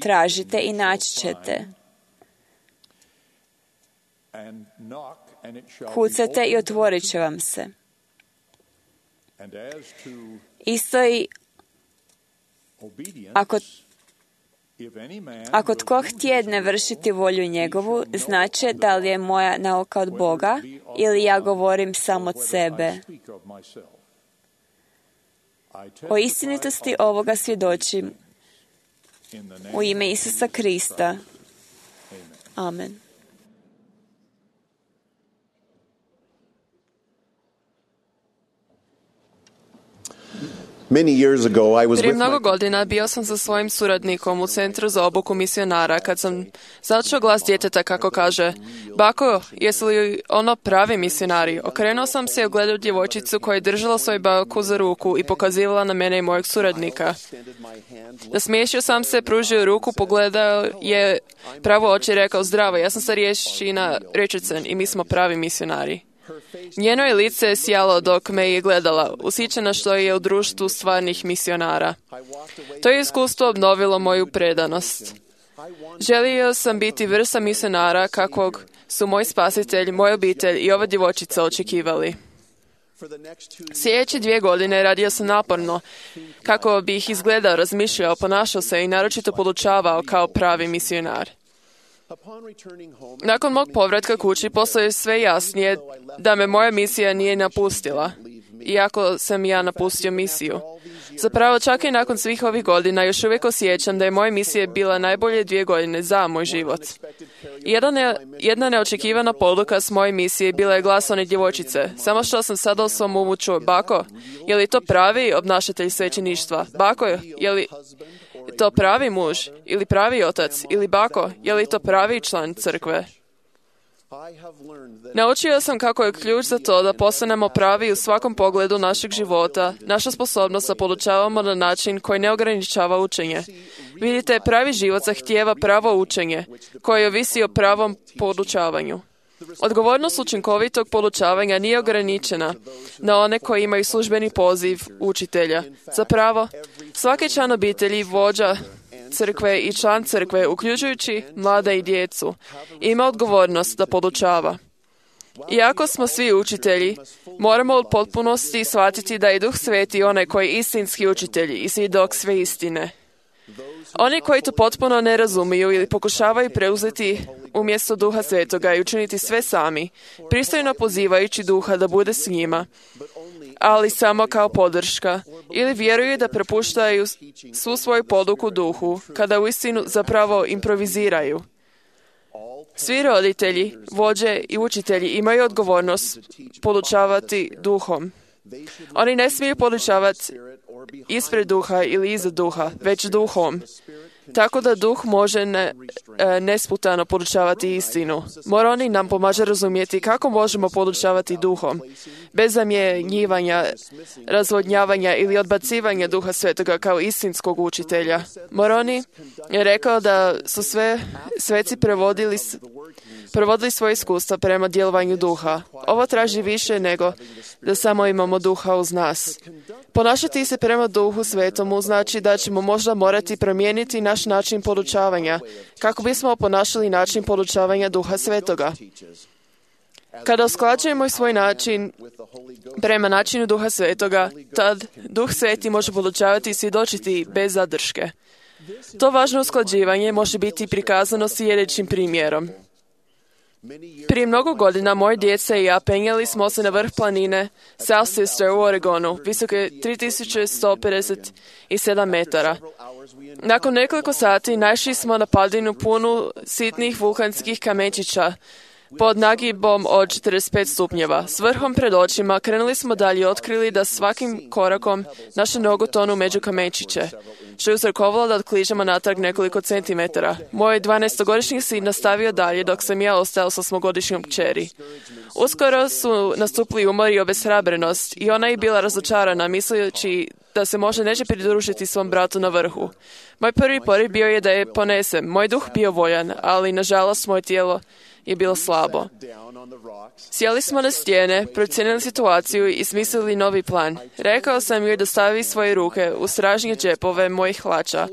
Tražite i naći ćete. Kucajte i otvorit će vam se. Isto i ako tko htjedne vršiti volju njegovu, znači da li je moja nauka od Boga ili ja govorim sam od sebe. O istinitosti ovoga svjedočim u ime Isusa Krista. Amen. Prije mnogo godina bio sam sa svojim suradnikom u Centru za obuku misionara kad sam začuo glas djeteta kako kaže: bako, jesu li ono pravi misionari? Okrenuo sam se i ugledao djevojčicu koja je držala svoju baku za ruku i pokazivala na mene i mojeg suradnika. Nasmiješio sam se, pružio ruku, pogledao je pravo oči i rekao: zdravo, ja sam starješina Richardson i mi smo pravi misionari. Njeno je lice sjalo dok me je gledala, ushićena što je u društvu stvarnih misionara. To je iskustvo obnovilo moju predanost. Želio sam biti vrsta misionara kakvog su moj spasitelj, moj obitelj i ova djevojčica očekivali. Sljedeće 2 godine radio sam naporno kako bih izgledao, razmišljao, ponašao se i naročito podučavao kao pravi misionar. Nakon mog povratka kući postalo je sve jasnije da me moja misija nije napustila, iako sam ja napustio misiju. Zapravo, čak i nakon svih ovih godina još uvijek osjećam da je moja misija bila najbolje 2 godine za moj život. Jedna neočekivana poduka s moje misije bila je glas one djevojčice. Samo što sam sada u svom umu čuo: bako, je li to pravi obnašatelj svećeništva? Bako, je li to pravi muž ili pravi otac? Ili bako, je li to pravi član crkve? Naučio sam kako je ključ za to da postanemo pravi u svakom pogledu našeg života, naša sposobnost da podučavamo na način koji ne ograničava učenje. Vidite, pravi život zahtijeva pravo učenje, koje ovisi o pravom podučavanju. Odgovornost učinkovitog podučavanja nije ograničena na one koji imaju službeni poziv učitelja. Zapravo, svaki član obitelji, vođa crkve i član crkve, uključujući mlade i djecu, ima odgovornost da podučava. Iako smo svi učitelji, moramo u potpunosti shvatiti da je Duh Sveti onaj koji je istinski učitelj i svjedok sve istine. Oni koji to potpuno ne razumiju ili pokušavaju preuzeti umjesto Duha Svetoga i učiniti sve sami, pristojno pozivajući Duha da bude s njima, ali samo kao podrška, ili vjeruju da prepuštaju svu svoju poduku Duhu, kada uistinu zapravo improviziraju. Svi roditelji, vođe i učitelji imaju odgovornost podučavati Duhom. Oni ne smiju podučavati ispred Duha ili iza Duha, već Duhom. Tako da Duh može nesputano podučavati istinu. Moroni nam pomaže razumjeti kako možemo podučavati Duhom, bez zamjenjivanja, razvodnjavanja ili odbacivanja Duha Svetoga kao istinskog učitelja. Moroni je rekao da su sve sveci prevodili provodili svoje iskustva prema djelovanju duha. Ovo traži više nego da samo imamo duha uz nas. Ponašati se prema duhu svetomu znači da ćemo možda morati promijeniti naš način podučavanja kako bismo ponašali način podučavanja duha svetoga. Kada usklađujemo svoj način prema načinu duha svetoga, tad duh sveti može podučavati i svjedočiti bez zadrške. To važno usklađivanje može biti prikazano sljedećim primjerom. Prije mnogo godina moje djeca i ja penjali smo se na vrh planine South Sister u Oregonu, visoke 3157 metara. Nakon nekoliko sati naišli smo na padinu punu sitnih vulkanskih kamenčića pod nagibom od 45 stupnjeva. S vrhom pred očima krenuli smo dalje i otkrili da svakim korakom naše nogu tonu među kamenčiće, što je uzrokovalo da kližemo natrag nekoliko centimetara. Moj 12-godišnji sin nastavio dalje dok sam ja ostao sa svogodišnjom kćeri. Uskoro su nastupili umor i obeshrabrenost i ona je bila razočarana, misleći da se možda neće pridružiti svom bratu na vrhu. Moj prvi poriv bio je da je ponesem. Moj duh bio voljan, ali nažalost moje tijelo je bilo slabo. Sjeli smo na stijene, procijenili situaciju i smislili novi plan. Rekao sam joj da stavi svoje ruke u stražnje džepove mojih hlača.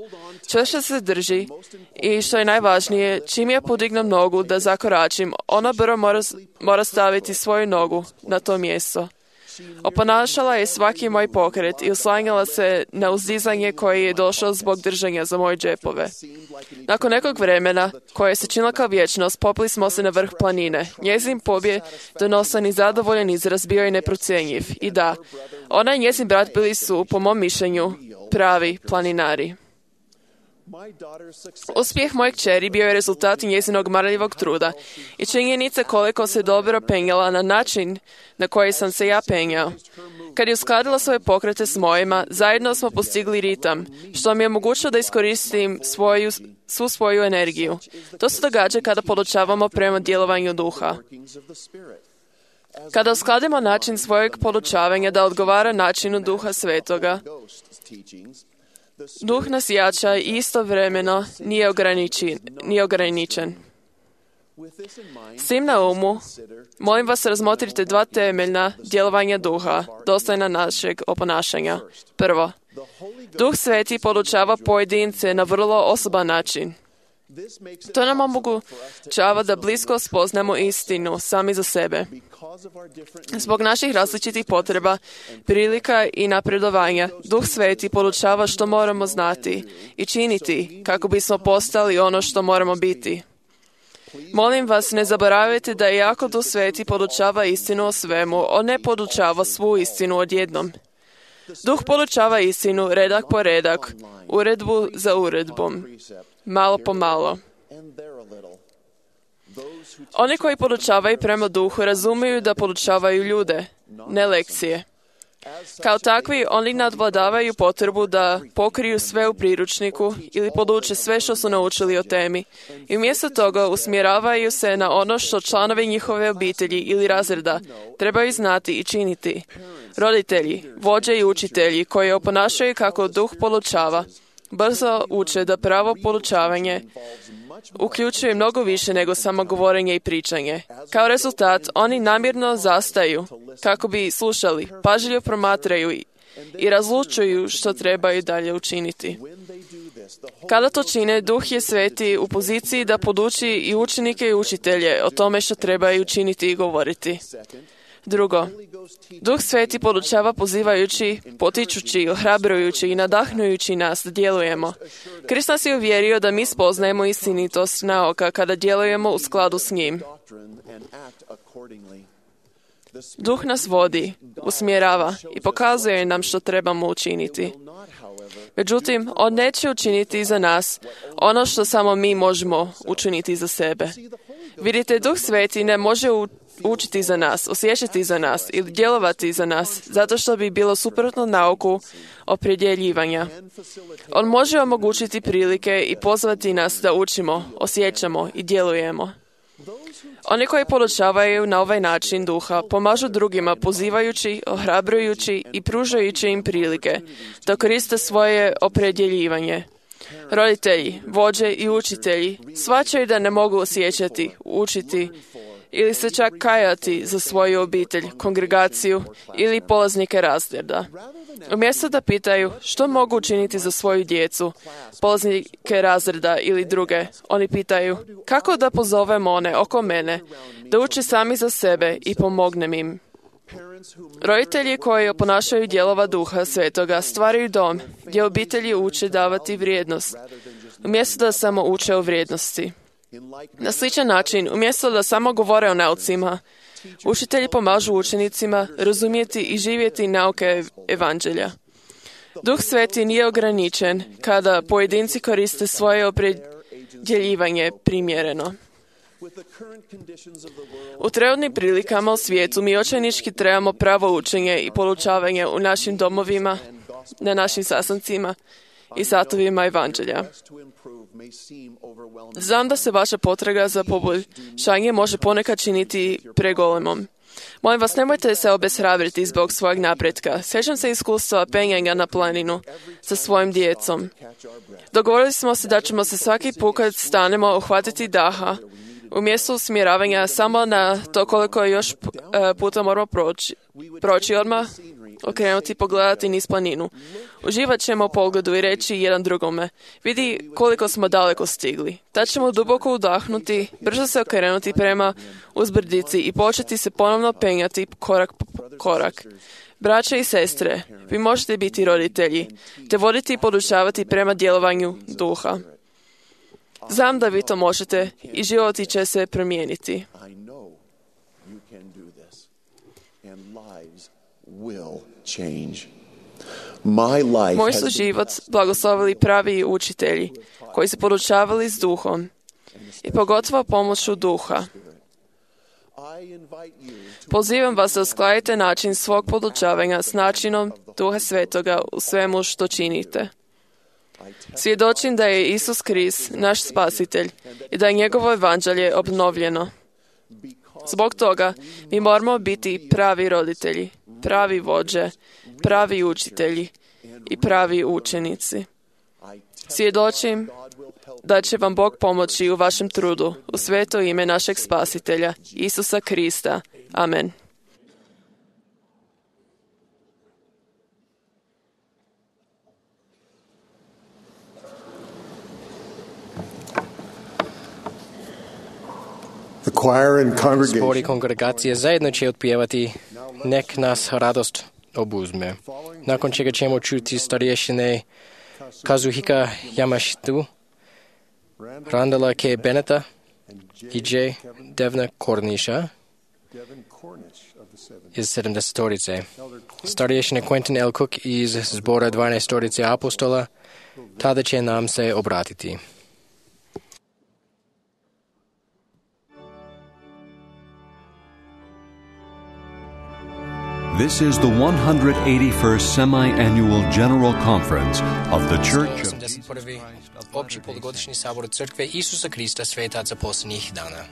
Čvrsto se drži i, što je najvažnije, čim ja podignem nogu da zakoračim, ona brzo mora staviti svoju nogu na to mjesto. Oponašala je svaki moj pokret i oslanjala se na uzdizanje koje je došlo zbog držanja za moje džepove. Nakon nekog vremena, koje se činilo kao vječnost, popili smo se na vrh planine. Njezin pobjedonosan i zadovoljan izraz bio je neprocjenjiv. I da, ona i njezin brat bili su, po mom mišljenju, pravi planinari. Uspjeh moje kćeri bio je rezultat njezinog marljivog truda i činjenica koliko se dobro penjala na način na koji sam se ja penjao. Kad je uskladila svoje pokrete s mojima, zajedno smo postigli ritam, što mi je omogućilo da iskoristim svu svoju energiju. To se događa kada podučavamo prema djelovanju duha. Kada uskladimo način svojeg podučavanja da odgovara načinu duha svetoga, duh nas jača i istovremeno nije ograničen. S tim na umu, molim vas razmotrite dva temeljna djelovanja duha, dostojna našeg oponašanja. Prvo, Duh Sveti podučava pojedince na vrlo osoban način. To nam omogućava da blisko spoznamo istinu sami za sebe. Zbog naših različitih potreba, prilika i napredovanja, Duh Sveti podučava što moramo znati i činiti kako bismo postali ono što moramo biti. Molim vas, ne zaboravite da iako Duh Sveti podučava istinu o svemu, on ne podučava svu istinu odjednom. Duh podučava istinu redak po redak, uredbu za uredbom, malo po malo. Oni koji podučavaju prema duhu razumiju da podučavaju ljude, ne lekcije. Kao takvi, oni nadvladavaju potrebu da pokriju sve u priručniku ili poduče sve što su naučili o temi i umjesto toga usmjeravaju se na ono što članovi njihove obitelji ili razreda trebaju znati i činiti. Roditelji, vođe i učitelji koji oponašaju kako duh podučava, brzo uče da pravo podučavanje uključuje mnogo više nego samo govorenje i pričanje. Kao rezultat, oni namjerno zastaju kako bi slušali, pažljivo promatraju i razlučuju što trebaju dalje učiniti. Kada to čine, Duh je Sveti u poziciji da poduči i učenike i učitelje o tome što trebaju učiniti i govoriti. Drugo, Duh Sveti podučava pozivajući, potičući, ohrabrujući i nadahnujući nas da djelujemo. Krist nas je uvjerio da mi spoznajemo istinitost nauka kada djelujemo u skladu s njim. Duh nas vodi, usmjerava i pokazuje nam što trebamo učiniti. Međutim, on neće učiniti za nas ono što samo mi možemo učiniti za sebe. Vidite, Duh Sveti ne može učiti za nas, osjećati za nas ili djelovati za nas, zato što bi bilo suprotno nauku opredjeljivanja. On može omogućiti prilike i pozvati nas da učimo, osjećamo i djelujemo. Oni koji podučavaju na ovaj način duha pomažu drugima pozivajući, ohrabrujući i pružajući im prilike da koriste svoje opredjeljivanje. Roditelji, vođe i učitelji shvaćaju da ne mogu osjećati, učiti ili se čak kajati za svoju obitelj, kongregaciju ili polaznike razreda. Umjesto da pitaju što mogu učiniti za svoju djecu, polaznike razreda ili druge, oni pitaju kako da pozovem one oko mene da uče sami za sebe i pomognem im. Roditelji koji oponašaju dijelova Duha Svetoga stvaraju dom gdje obitelji uče davati vrijednost, umjesto da samo uče o vrijednosti. Na sličan način, umjesto da samo govore o naucima, učitelji pomažu učenicima razumjeti i živjeti nauke evanđelja. Duh Sveti nije ograničen kada pojedinci koriste svoje opredjeljivanje primjereno. U trenutnim prilikama u svijetu mi očajnički trebamo pravo učenje i poučavanje u našim domovima, na našim sastancima i satovima evanđelja. Znam da se vaša potraga za poboljšanje može ponekad činiti pregolemom. Molim vas, nemojte se obeshrabriti zbog svojeg napretka. Sjećam se iskustva penjanja na planinu sa svojim djecom. Dogovorili smo se da ćemo se svaki put kad stanemo uhvatiti daha, umjesto usmjeravanja samo na to koliko još puta moramo proći odmah, okrenuti, pogledati niz planinu. Uživat ćemo u pogledu i reći jedan drugome, vidi koliko smo daleko stigli. Tad ćemo duboko udahnuti, brzo se okrenuti prema uzbrdici i početi se ponovno penjati korak po korak. Braće i sestre, vi možete biti roditelji, te voditi i podučavati prema djelovanju duha. Znam da vi to možete i životi će se promijeniti. Moj su život blagoslovili pravi učitelji koji su podučavali s duhom i pogotovo pomoću duha. Pozivam vas da uskladite način svog podučavanja s načinom Duha Svetoga u svemu što činite. Svjedočim da je Isus Krist naš spasitelj i da je njegovo evanđelje obnovljeno. Zbog toga mi moramo biti pravi roditelji, pravi vođe, pravi učitelji i pravi učenici. Svjedočim da će vam Bog pomoći u vašem trudu, u sveto ime našeg spasitelja, Isusa Krista. Amen. Zbor i kongregacije zajedno će otpjevati Nek nas radost obuzme. Nakon čega ćemo čuti starješine Kazuhika Yamashita, Randala K. Beneta i J. Devna Korniša iz 70-torice. Starješine Quentin L. Cook iz zbora 12-torice apostola tada će nam se obratiti. This is the 181st semi-annual General Conference of the Church of 81. Opći polugodišnji sabor Crkve Isusa Krista Svetaca posljednjih dana.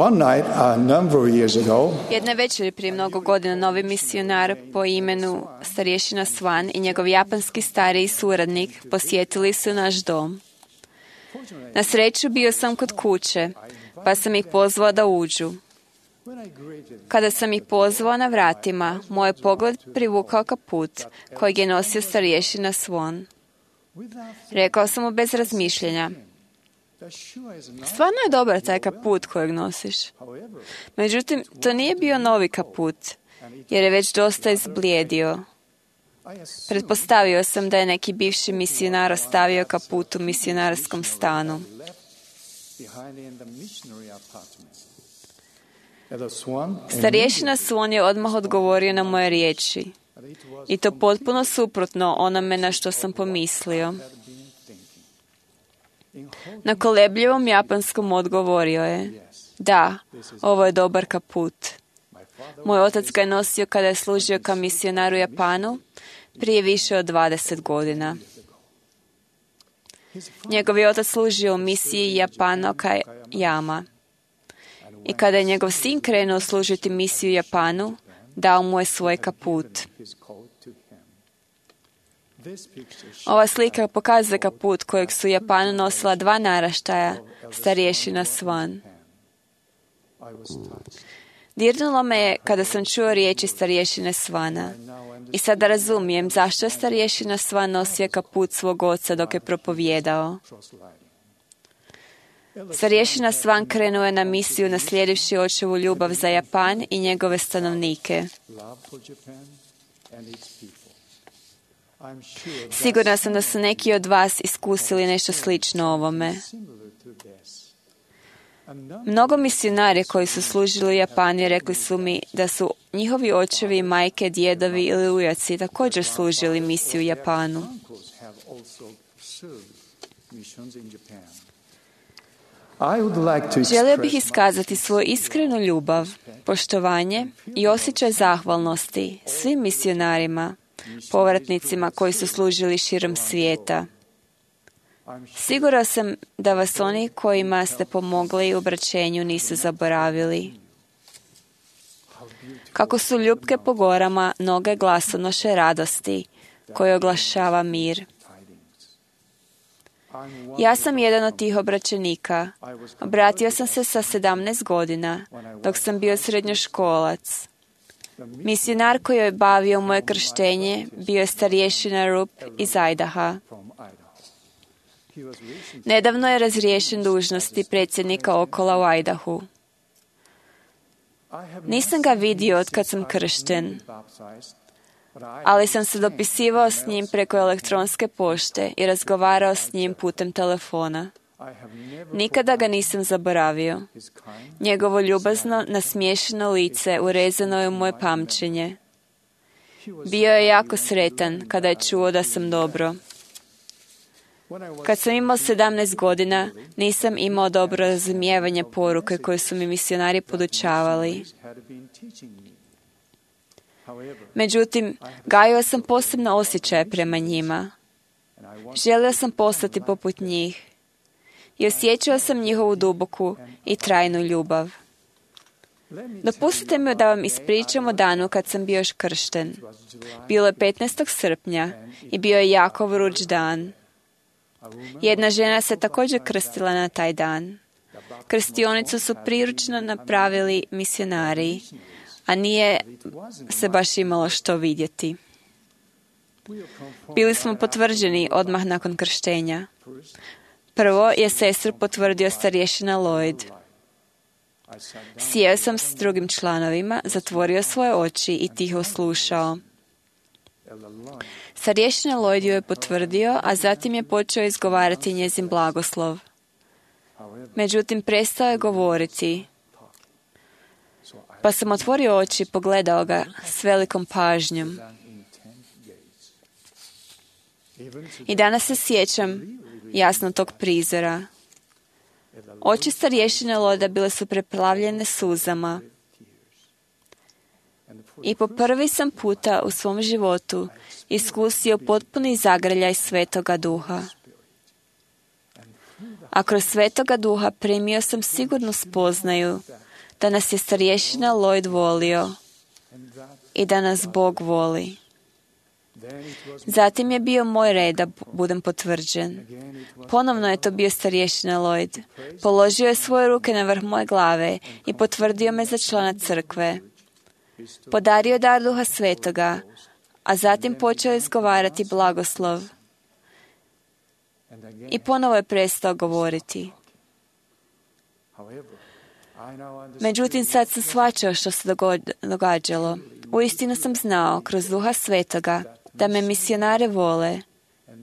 One night, a number of years ago, Jedne večeri prije mnogo godina novi misionar po imenu starješina Swan i njegov japanski stariji suradnik posjetili su naš dom. Na sreću bio sam kod kuće, pa sam ih pozvao da uđu. Kada sam ih pozvao na vratima, moj pogled privukao kaput kojeg je nosio starješina Swan. Rekao sam mu bez razmišljenja: stvarno je dobar taj kaput kojeg nosiš. Međutim, to nije bio novi kaput, jer je već dosta izblijedio. Pretpostavio sam da je neki bivši misionar ostavio kaput u misionarskom stanu. Starješina Swan je odmah odgovorio na moje riječi. I to potpuno suprotno onome na što sam pomislio. Na kolebljivom japanskom odgovorio je: da, ovo je dobar kaput. Moj otac ga je nosio kada je služio kao misionar u Japanu prije više od 20 godina. Njegov je otac služio u misiji Japano Kajama. I kada je njegov sin krenuo služiti misiju Japanu, dao mu je svoj kaput. Ova slika pokazuje kaput kojeg su u Japanu nosila 2 naraštaja starješina Swan. Dirnulo me je kada sam čuo riječi starješine Swana. I sada razumijem zašto je starješina Swan nosio kaput svog oca dok je propovijedao. Starješina Swan krenuo je na misiju naslijedivši očevu ljubav za Japan i njegove stanovnike. Sigurna sam da su neki od vas iskusili nešto slično ovome. Mnogo misionari koji su služili u Japanu rekli su mi da su njihovi očevi, majke, djedovi ili ujaci također služili misiju u Japanu. Želio bih iskazati svoju iskrenu ljubav, poštovanje i osjećaj zahvalnosti svim misionarima, povratnicima koji su služili širom svijeta. Siguran sam da vas oni kojima ste pomogli u obraćenju nisu zaboravili. Kako su ljupke po gorama noge glasonoše radosti koje oglašava mir. Ja sam jedan od tih obraćenika. Obratio sam se sa 17 godina, dok sam bio srednjoškolac. Misionar koji je bavio moje krštenje bio je starješina Rup iz Idaha. Nedavno je razriješen dužnosti predsjednika Okola u Idahu. Nisam ga vidio od kad sam kršten, ali sam se dopisivao s njim preko elektronske pošte i razgovarao s njim putem telefona. Nikada ga nisam zaboravio. Njegovo ljubazno, nasmiješeno lice urezano je u moje pamćenje. Bio je jako sretan kada je čuo da sam dobro. Kad sam imao 17 godina, nisam imao dobro razumijevanje poruke koje su mi misionari podučavali. Međutim, gajio sam posebno osjećaje prema njima. Želio sam postati poput njih i osjećao sam njihovu duboku i trajnu ljubav. Dopustite mi da vam ispričam o danu kad sam bio još kršten. Bilo je 15. srpnja i bio je jako vruć dan. Jedna žena se također krstila na taj dan. Krstionicu su priručno napravili misionari, a nije se baš imalo što vidjeti. Bili smo potvrđeni odmah nakon krštenja. Prvo je sestru potvrdio starješina Lloyd. Sjeo sam s drugim članovima, zatvorio svoje oči i tiho slušao. Starješina Lloyd ju je potvrdio, a zatim je počeo izgovarati njezin blagoslov. Međutim, prestao je govoriti. Pa sam otvorio oči i pogledao ga s velikom pažnjom. I danas se sjećam jasno tog prizora. Oči starješine Lloyda bile su preplavljene suzama. I po prvi sam puta u svom životu iskusio potpuni zagrljaj Svetoga Duha. A kroz Svetoga Duha primio sam sigurnu spoznaju da nas je starješina Lloyd volio i da nas Bog voli. Zatim je bio moj red da budem potvrđen. Ponovno je to bio starješina Lloyd. Položio je svoje ruke na vrh moje glave i potvrdio me za člana crkve. Podario dar Duha Svetoga, a zatim počeo izgovarati blagoslov. I ponovo je prestao govoriti. Međutim, sad sam shvaćao što se događalo. Uistinu sam znao kroz Duha Svetoga da me misionare vole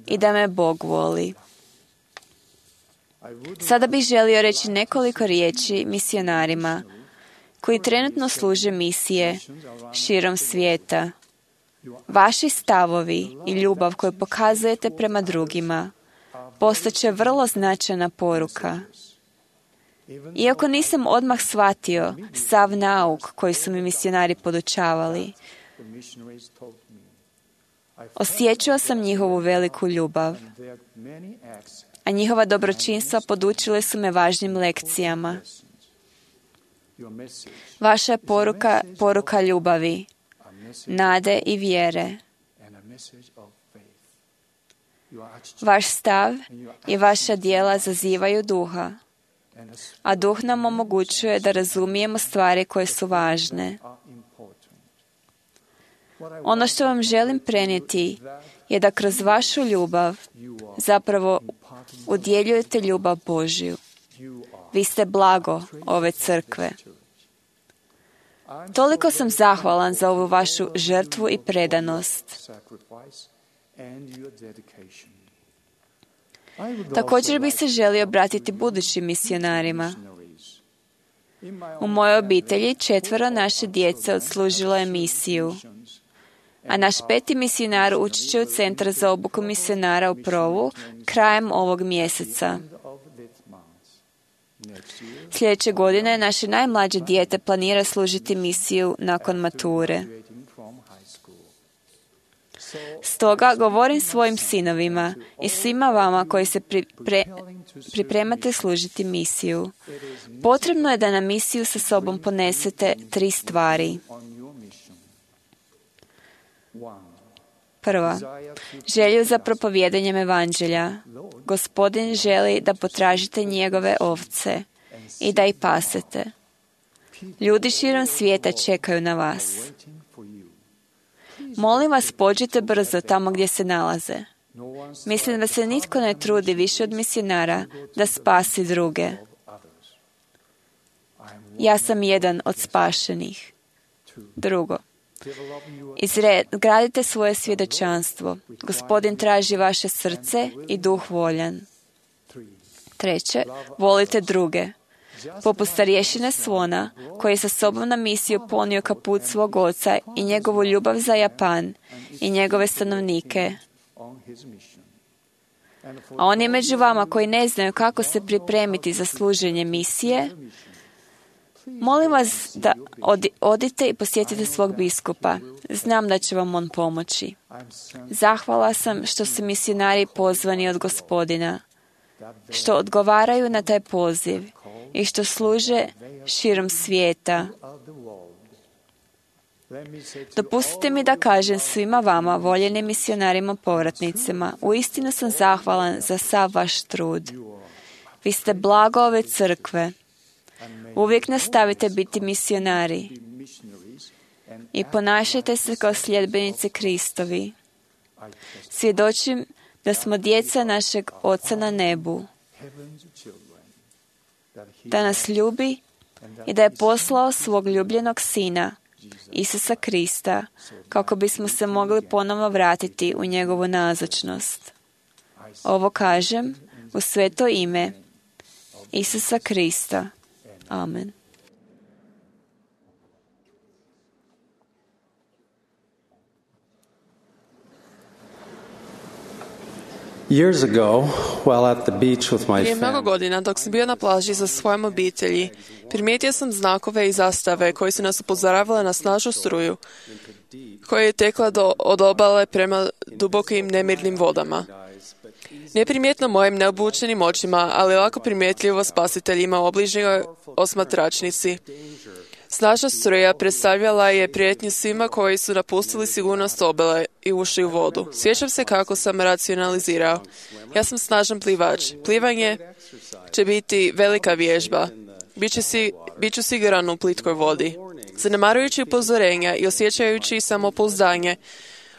i da me Bog voli. Sada bih želio reći nekoliko riječi misionarima koji trenutno služe misije širom svijeta. Vaši stavovi i ljubav koju pokazujete prema drugima postaće vrlo značajna poruka. Iako nisam odmah shvatio sav nauk koji su mi misionari podučavali, osjećao sam njihovu veliku ljubav, a njihova dobročinstva podučile su me važnim lekcijama. Vaša je poruka ljubavi, nade i vjere. Vaš stav i vaša djela zazivaju duha, a duh nam omogućuje da razumijemo stvari koje su važne. Ono što vam želim prenijeti je da kroz vašu ljubav zapravo udjeljujete ljubav Božju. Vi ste blago ove crkve. Toliko sam zahvalan za ovu vašu žrtvu i predanost. Također bih se želio obratiti budućim misionarima. U mojoj obitelji 4 naše djece odslužilo je misiju, a naš 5. misionar ući će u Centar za obuku misionara u Provu krajem ovog mjeseca. Sljedeće godine naše najmlađe dijete planira služiti misiju nakon mature. Stoga govorim svojim sinovima i svima vama koji se pripremate služiti misiju. Potrebno je da na misiju sa sobom ponesete 3 stvari. Prva, želju za propovijedanjem evanđelja. Gospodin želi da potražite njegove ovce i da ih pasete. Ljudi širom svijeta čekaju na vas. Molim vas, pođite brzo tamo gdje se nalaze. Mislim da se nitko ne trudi više od misionara da spasi druge. Ja sam jedan od spašenih. Drugo, izgradite svoje svjedočanstvo. Gospodin traži vaše srce i duh voljan. Treće, volite druge. Poput starješine Svona, koji je sa sobom na misiju ponio kaput svog oca i njegovu ljubav za Japan i njegove stanovnike. A oni među vama koji ne znaju kako se pripremiti za služenje misije, molim vas da odite i posjetite svog biskupa. Znam da će vam on pomoći. Zahvala sam što su misionari pozvani od Gospodina, što odgovaraju na taj poziv i što služe širom svijeta. Dopustite mi da kažem svima vama, voljenim misionarima povratnicima, uistinu sam zahvalan za sav vaš trud. Vi ste blago ove crkve. Uvijek nastavite biti misionari i ponašajte se kao sljedbenici Kristovi. Svjedočim da smo djeca našeg Oca na nebu, da nas ljubi i da je poslao svog ljubljenog Sina, Isusa Krista, kako bismo se mogli ponovno vratiti u njegovu nazočnost. Ovo kažem u sveto ime Isusa Krista. Amen. Years ago, while at the beach with my Prije mnogo family, godina, dok sam bio na plaži sa svojom obitelji, primijetio sam znakove i zastave koji su nas upozoravale na snažnu struju, koja je tekla od obale prema dubokim nemirnim vodama. Neprimjetno mojim neobučenim očima, ali lako primjetljivo spasiteljima u obližnjoj osmatračnici. Snažna struja predstavljala je prijetnju svima koji su napustili sigurnost obale i ušli u vodu. Sjećam se kako sam racionalizirao. Ja sam snažan plivač. Plivanje će biti velika vježba. Biću siguran u plitkoj vodi. Zanemarujući upozorenja i osjećajući samopouzdanje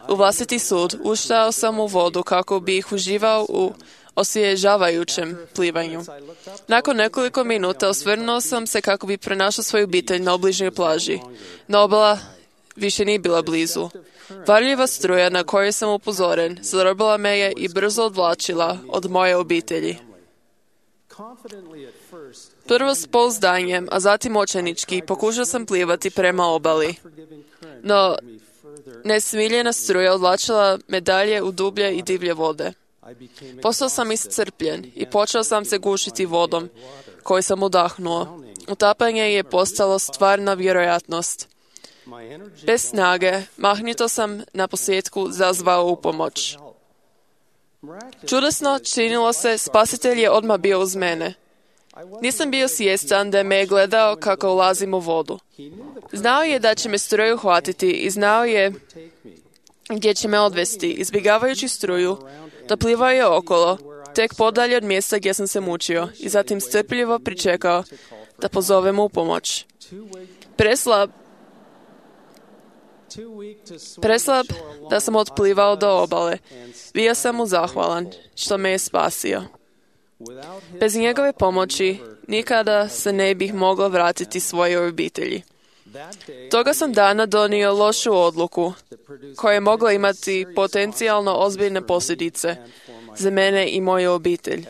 u vlastiti sud, ušao sam u vodu kako bih uživao u osvježavajućem plivanju. Nakon nekoliko minuta osvrnuo sam se kako bi pronašao svoju obitelj na obližnjoj plaži. No obala više nije bila blizu. Varljiva struja na koju sam upozoren zarobila me je i brzo odvlačila od moje obitelji. Prvo s pouzdanjem, a zatim očajnički, pokušao sam plivati prema obali. No, nesmiljena struja odvlačila me dalje u dublje i divlje vode. Postao sam iscrpljen i počeo sam se gušiti vodom koju sam udahnuo. Utapanje je postalo stvarna vjerojatnost. Bez snage, mahnito sam na posljedku zazvao u pomoć. Čudesno činilo se, spasitelj je odmah bio uz mene. Nisam bio svjestan da me je gledao kako ulazim u vodu. Znao je da će me struja uhvatiti i znao je gdje će me odvesti. Izbjegavajući struju, doplivao je okolo, tek podalje od mjesta gdje sam se mučio i zatim strpljivo pričekao da pozovem u pomoć. Preslab da sam otplivao do obale. Bio sam mu zahvalan što me je spasio. Bez njegove pomoći nikada se ne bih mogao vratiti svojoj obitelji. Toga sam dana donio lošu odluku koja je mogla imati potencijalno ozbiljne posljedice za mene i moju obitelj.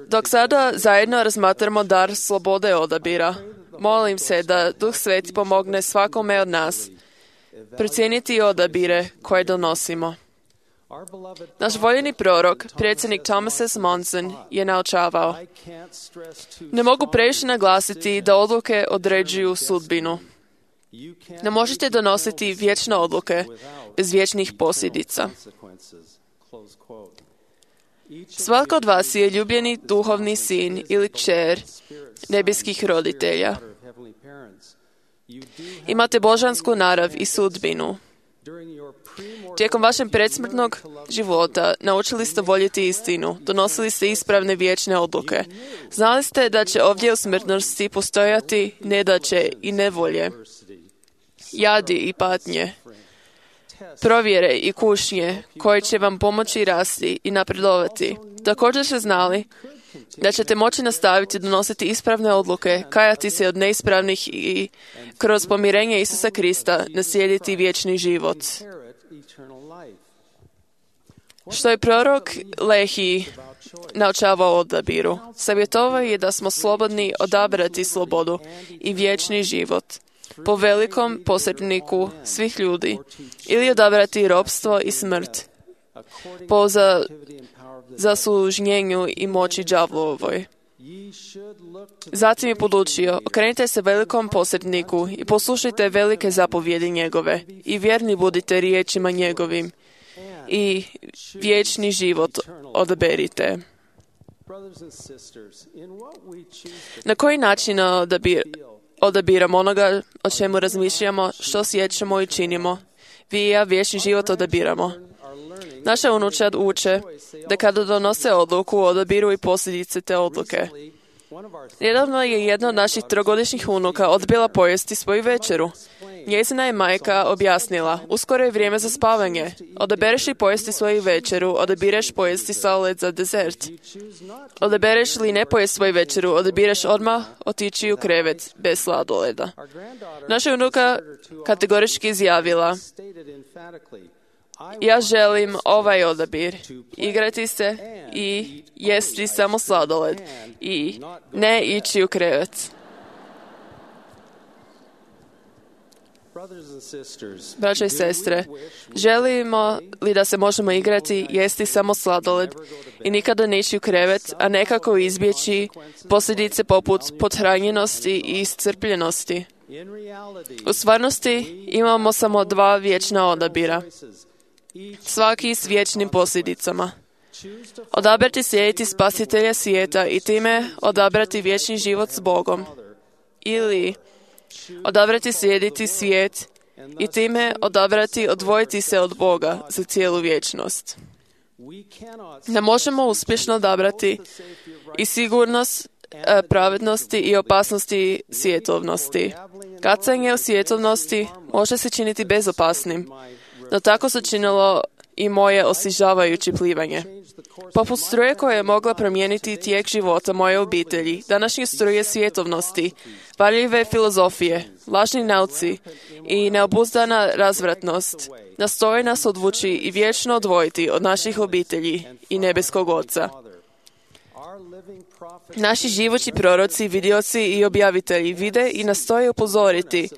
Dok sada zajedno razmatramo dar slobode odabira, molim se da Duh Sveti pomogne svakome od nas procijeniti odabire koje donosimo. Naš voljeni prorok, predsjednik Thomas S. Monson, je naučavao: ne mogu previše naglasiti da odluke određuju sudbinu. Ne možete donositi vječne odluke bez vječnih posljedica. Svatko od vas je ljubljeni duhovni sin ili kćer nebeskih roditelja. Imate božansku narav i sudbinu. Tijekom vašeg predsmrtnog života naučili ste voljeti istinu, donosili ste ispravne vječne odluke. Znali ste da će ovdje u smrtnosti postojati nedaće i nevolje, jadi i patnje, provjere i kušnje koje će vam pomoći rasti i napredovati. Također ste znali da ćete moći nastaviti donositi ispravne odluke, kajati se od neispravnih i kroz pomirenje Isusa Krista naslijediti vječni život. Što je prorok Lehi naučavao o odabiru? Savjetovao je da smo slobodni odabrati slobodu i vječni život po velikom posredniku svih ljudi ili odabrati ropstvo i smrt po zaslužnjenju i moći đavlovoj. Zatim je podučio: okrenite se velikom posredniku i poslušajte velike zapovjedi njegove i vjerni budite riječima njegovim i vječni život odaberite. Na koji način odabiramo onoga o čemu razmišljamo, što osjećamo i činimo? Vi i ja vječni život odabiramo. Naša unučad uče da kada donose odluku, odabiru i posljedice te odluke. Nedavno je jedna od naših trogodišnjih unuka odbila pojesti svoju večeru. Njezina je majka objasnila: uskoro je vrijeme za spavanje. Odabereš li pojesti svoju večeru, odabireš pojesti sladoled za dezert. Odabereš li ne pojesti svoju večeru, odabireš odmah otići u krevet bez sladoleda. Naša unuka kategorički izjavila: ja želim ovaj odabir, igrati se i jesti samo sladoled i ne ići u krevet. Braća i sestre, želimo li da se možemo igrati, jesti samo sladoled i nikada ne ići u krevet, a nekako izbjeći posljedice poput pothranjenosti i iscrpljenosti? U stvarnosti imamo samo dva vječna odabira, svaki s vječnim posljedicama. Odabrati slijediti spasitelja svijeta i time odabrati vječni život s Bogom. Ili odabrati slijediti svijet i time odabrati odvojiti se od Boga za cijelu vječnost. Ne možemo uspješno odabrati i sigurnost pravednosti i opasnosti svjetovnosti. Kacanje u svjetovnosti može se činiti bezopasnim, no tako se činilo i moje osvježavajuće plivanje. Poput struje koja je mogla promijeniti tijek života moje obitelji, današnje struje svjetovnosti, varljive filozofije, lažni nauci i neobuzdana razvratnost nastoje nas odvući i vječno odvojiti od naših obitelji i nebeskog Oca. Naši živući proroci, vidioci i objavitelji vide i nastoje upozoriti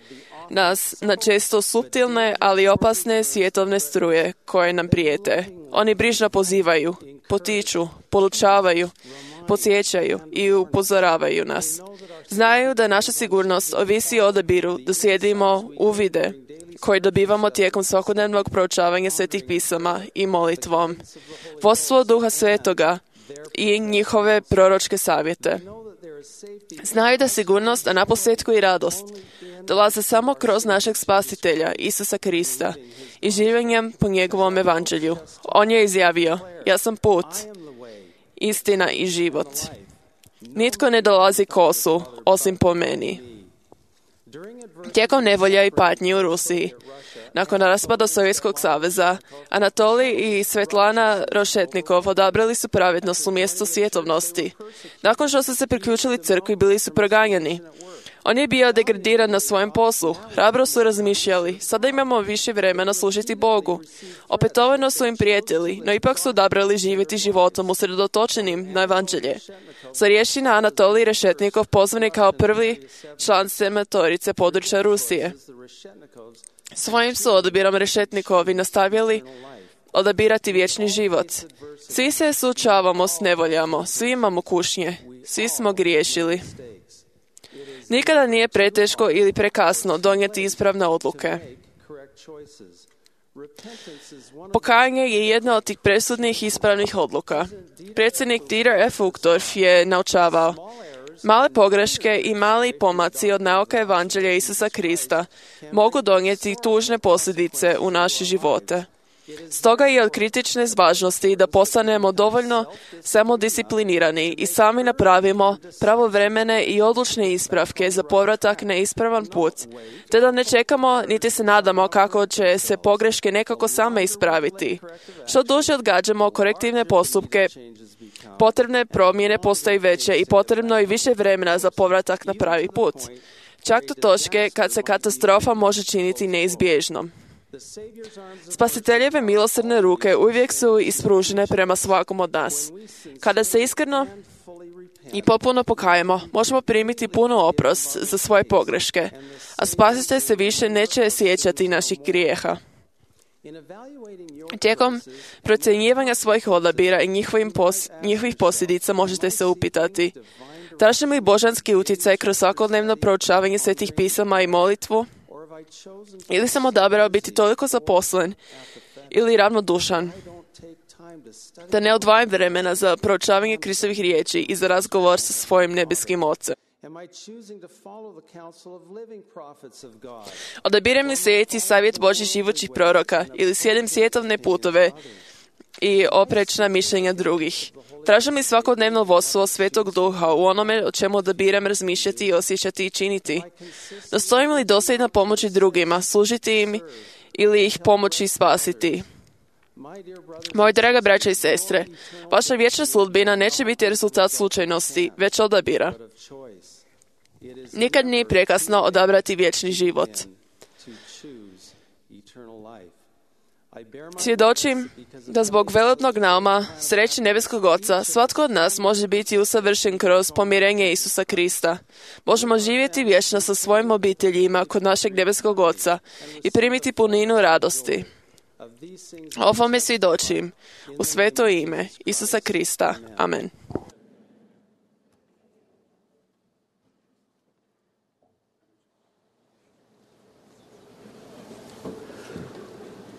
nas na često suptilne, ali opasne svjetovne struje koje nam prijete. Oni brižno pozivaju, potiču, podučavaju, podsjećaju i upozoravaju nas. Znaju da naša sigurnost ovisi o odabiru da slijedimo uvide koje dobivamo tijekom svakodnevnog proučavanja svetih pisama i molitvom. Vodstvo Duha Svetoga i njihove proročke savjete. Znaju da sigurnost, a naposljetku i radost, dolaze samo kroz našeg spasitelja, Isusa Krista, i življenjem po njegovom evanđelju. On je izjavio, ja sam put, istina i život. Nitko ne dolazi k Ocu, osim po meni. Tijekom nevolja i patnji u Rusiji, nakon raspada Sovjetskog saveza, Anatolij i Svetlana Rošetnikov odabrali su pravednost umjesto svjetovnosti. Nakon što su se priključili crkvi, bili su proganjani. On je bio degradiran na svojem poslu. Hrabro su razmišljali, sada imamo više vremena služiti Bogu. Opetovano su im prijetili, no ipak su odabrali živjeti životom usredotočenim na evanđelje. Starješina Anatolij Rešetnikov pozvan je kao prvi član sematorice područja Rusije. Svojim su odabirom Rešetnikovi nastavili odabirati vječni život. Svi se suočavamo s nevoljama, svi imamo kušnje, svi smo griješili. Nikada nije preteško ili prekasno donijeti ispravne odluke. Pokajanje je jedna od tih presudnih ispravnih odluka. Predsjednik Dieter F. Uchtdorf je naučavao, male pogreške i mali pomaci od nauka evanđelja Isusa Krista mogu donijeti tužne posljedice u naše živote. Stoga je od kritične važnosti da postanemo dovoljno samodisciplinirani i sami napravimo pravovremene i odlučne ispravke za povratak na ispravan put, te da ne čekamo niti se nadamo kako će se pogreške nekako same ispraviti. Što duže odgađamo korektivne postupke, potrebne promjene postaju veće i potrebno je više vremena za povratak na pravi put, čak do točke kad se katastrofa može činiti neizbježnom. Spasiteljeve milosrdne ruke uvijek su ispružene prema svakom od nas. Kada se iskreno i potpuno pokajemo, možemo primiti puno oprost za svoje pogreške, a Spasitelj se više neće sjećati naših grijeha. Tijekom procjenjivanja svojih odabira i njihovih posljedica možete se upitati, tražim li božanski utjecaj kroz svakodnevno proučavanje svetih pisama i molitvu? Ili sam odabrao biti toliko zaposlen ili ravnodušan da ne odvajam vremena za proučavanje Kristovih riječi i za razgovor sa svojim nebeskim Ocem. Odabirem li slijediti savjet Božjih živućih proroka ili slijedim svjetovne putove i oprečna mišljenja drugih? Tražim li svakodnevno vodstvo Svetog Duha u onome o čemu odabiram razmišljati, osjećati i činiti? Nastojim li dosljedno pomoći drugima, služiti im ili ih pomoći spasiti? Moji draga braća i sestre, vaša vječna sudbina neće biti rezultat slučajnosti, već odabira. Nikad nije prekasno odabrati vječni život. Svjedočim da zbog velebnog nauma sreće nebeskog Oca svatko od nas može biti usavršen kroz pomirenje Isusa Krista. Možemo živjeti vječno sa svojim obiteljima kod našeg nebeskog Oca i primiti puninu radosti. Ovome svjedočim u sveto ime Isusa Krista. Amen.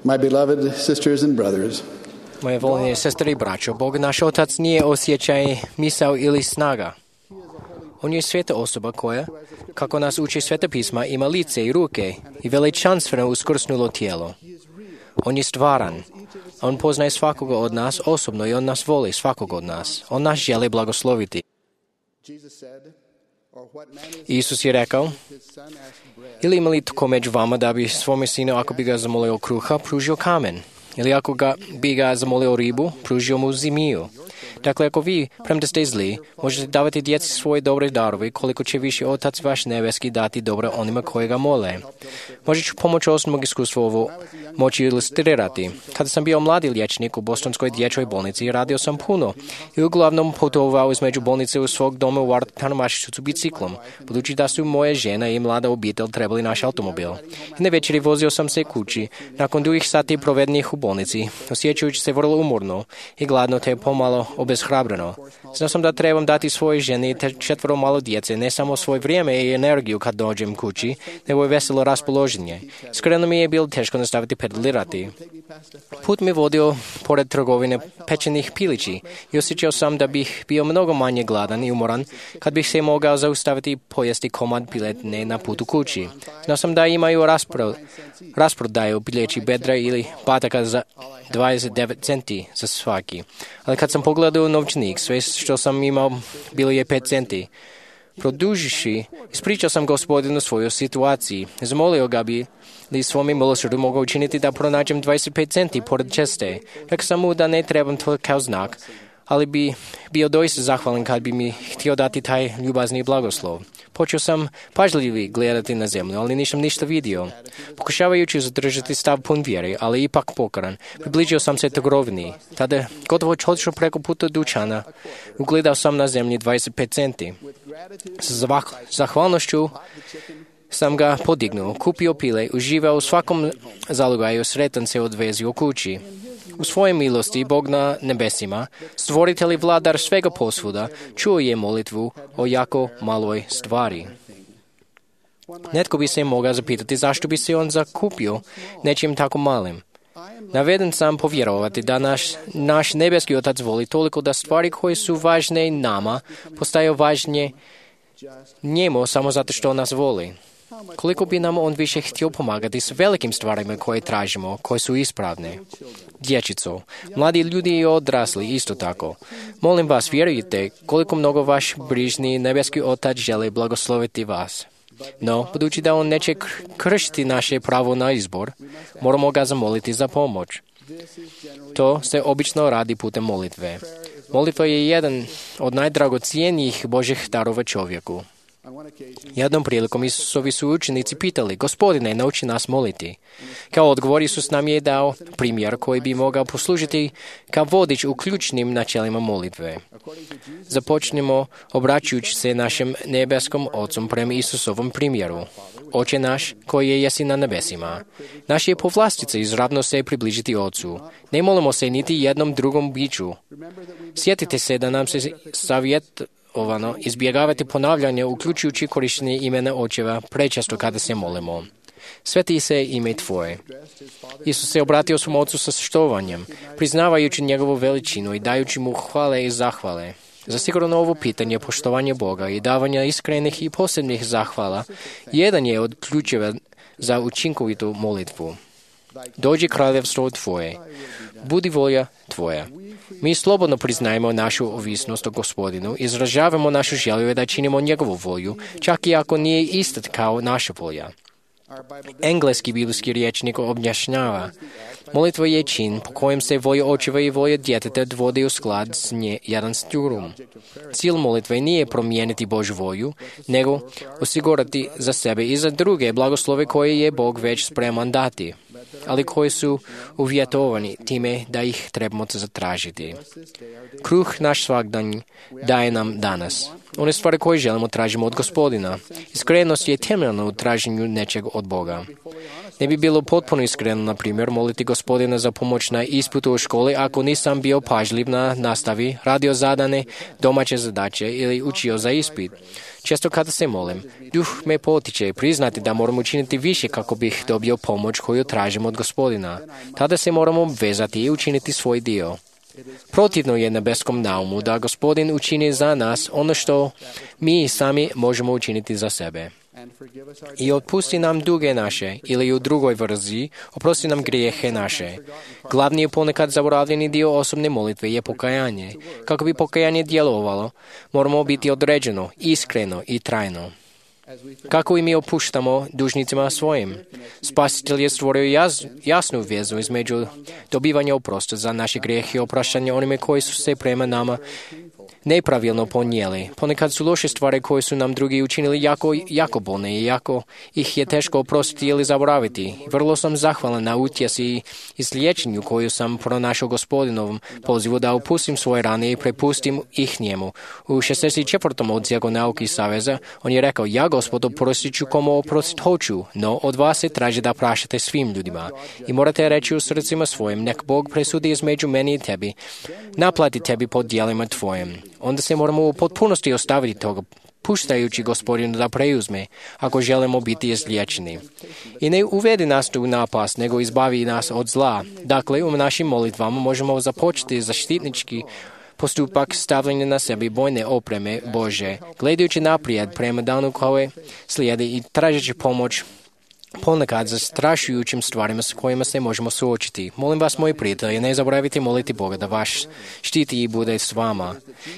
My beloved sisters and brothers, Moje voljene sestre i braćo, Bog naš Otac nije osjećaj, misao ili snaga. On je sveta osoba koja, kako nas uči Sveta pisma, ima lice i ruke i veličanstveno uskrsnulo tijelo. On je stvaran. On poznaje svakoga od nas osobno i on nas voli svakoga od nas. On nas želi blagosloviti. Isus je rekao, ili ima li tko među vama da bi svome sinu, ako bi ga zamolio kruha, pružio kamen? Ili ako bi ga zamolio ribu, pružio mu zmiju? Dakle, ako vi, premda ste zli, možete davati djeci svoje dobre darove, koliko će više Otac vaš nebeski dati dobro onima koji ga mole. Možda ću pomoću osobnog iskustva ovo moći ilustrirati. Kada sam bio mladi liječnik u Bostonskoj dječjoj bolnici, radio sam puno i uglavnom putovao između bolnice u svog doma u Washingtonu, Massachusettsu biciklom, budući da su moje žena i mlada obitelj trebali naš automobil. I na večeri vozio sam se kući, nakon dugih sati provedenih u bolnici, osjećajući se vrlo umorno i gladno te pomalo obeshrabreno. Znao sam da trebam dati svojoj ženi te 4 malo djece ne samo svoje vrijeme i energiju kad dođem kući, nego i veselo raspoloženje. Iskreno mi je bilo teško nastaviti pedalirati. Put mi vodio pored trgovine pečenih pilići i osjećao sam da bih bio mnogo manje gladan i umoran kad bih se mogao zaustaviti i pojesti komad piletine na putu kući. Znao sam da imaju rasprodaju pileći bedra ili pataka za 29 centi za svaki. Ali kad sam pogledao novčanik, sve što sam imao bilo je 5 centi. Produžiši, ispričao sam Gospodinu svoju situaciju. Zamolio ga bi li svome milosrdu mogao učiniti da pronađem 25 centi pored ceste. Rekao sam mu da ne trebam to kao znak, ali bi bio doista zahvalan kad bi mi htio dati taj ljubazni blagoslov. Počeo sam pažljivo gledati na zemlju, ali nisam ništa vidio. Pokušavajući zadržati stav pun vjere, ali ipak pokaran, približio sam se trgovini. Tada, gotovo otišao preko puta dućana, ugledao sam na zemlji 25 centi. Sa zahvalnošću sam ga podignuo, kupio pile, uživao u svakom zalogaju, sretan se odvezio kući. U svojoj milosti Bog na nebesima, stvoritelj i vladar svega posvuda, čuo je molitvu o jako maloj stvari. Netko bi se mogao zapitati zašto bi se on zakupio nečim tako malim. Naveden sam povjerovati da naš nebeski Otac voli toliko da stvari koje su važne nama postaju važnije njemu samo zato što nas voli. Koliko bi nam on više htio pomagati s velikim stvarima koje tražimo, koje su ispravne. Dječico, mladi ljudi i odrasli isto tako. Molim vas, vjerujte koliko mnogo vaš brižni nebeski Otac želi blagosloviti vas. No, budući da on neće kršiti naše pravo na izbor, moramo ga zamoliti za pomoć. To se obično radi putem molitve. Molitva je jedan od najdragocjenijih Božjih darova čovjeku. Jednom prilikom Isusovi su učenici pitali, Gospodine, nauči nas moliti. Kao odgovor Isus nam je dao primjer koji bi mogao poslužiti kao vodič u ključnim načelima molitve. Započnemo obraćajući se našem nebeskom Otcu prema Isusovom primjeru. Oče naš koji jesi na nebesima. Naš je povlastica izravno se približiti Otcu. Ne molimo se niti jednom drugom biću. Sjetite se da nam se izbjegavati ponavljanje, uključujući korištenje imena očeva prečesto kada se molimo. Sveti se ime Tvoje. Isus se obratio svom Ocu sa štovanjem, priznavajući njegovu veličinu i dajući mu hvale i zahvale. Zasigurno ovo pitanje poštovanja Boga i davanja iskrenih i posebnih zahvala jedan je od ključeva za učinkovitu molitvu. Dođi kraljevstvo Tvoje, budi volja Tvoja. Mi slobodno priznajemo našu ovisnost o Gospodinu, izražavamo našu želju da činimo njegovu volju, čak i ako nije ista kao naša volja. Engleski biblijski rječnik objašnjava, molitva je čin po kojem se volja očeva i volja djeteta dovode u sklad s jedan s drugim. Cilj molitve nije promijeniti Božju volju, nego osigurati za sebe i za druge blagoslove koje je Bog već spreman dati, ali koji su uvjetovani time da ih trebamo zatražiti. Kruh naš svakdanji daje nam danas. One stvari koje želimo tražimo od Gospodina. Iskrenost je temeljna u traženju nečeg od Boga. Ne bi bilo potpuno iskreno, na primjer, moliti Gospodina za pomoć na ispitu u školi ako nisam bio pažljiv na nastavi, radio zadane domaće zadaće ili učio za ispit. Često kada se molim, duh me potiče priznati da moram učiniti više kako bih dobio pomoć koju tražim od Gospodina. Tada se moramo obvezati i učiniti svoj dio. Protivno je nebeskom naumu da Gospodin učini za nas ono što mi sami možemo učiniti za sebe. I otpusti nam duge naše, ili u drugoj verziji, oprosti nam grijehe naše. Glavni i ponekad zaboravljeni dio osobne molitve je pokajanje. Kako bi pokajanje djelovalo, moramo biti određeno, iskreno i trajno. Kako i mi opuštamo dužnicima svojim? Spasitelj je stvorio jasnu vezu između dobivanja oprosta za naše grijehe i opraštanja onime koji su se prema nama nepravilno ponijeli. Ponekad su loše stvari koje su nam drugi učinili jako bolne i jako ih je teško oprostiti ili zaboraviti. Vrlo sam zahvalan na utjesi i izliječenju koju sam pronašao Gospodinovom pozivu da opustim svoje rane i prepustim ih njemu. U 64. odsjeku nauki Saveza on je rekao: ja, Gospod, oprostit ću komu oprostit hoću, no od vas se traži da praštate svim ljudima. I morate reći u srcima svojim: nek Bog presudi između meni i tebi, naplati tebi po djelima tvojim. Onda se moramo u potpunosti ostaviti toga, puštajući Gospodinu da preuzme, ako želimo biti izliječeni. I ne uvedi nas tu napast, nego izbavi nas od zla. Dakle, u našim molitvama možemo započeti zaštitnički postupak stavljanja na sebi bojne opreme Bože, gledajući naprijed prema danu koje slijedi i tražeći pomoć ponekad zastrašujućim stvarima s kojima se možemo suočiti. Molim vas, moji prijatelji, ne zaboravite moliti Boga da vaš štiti i bude s vama.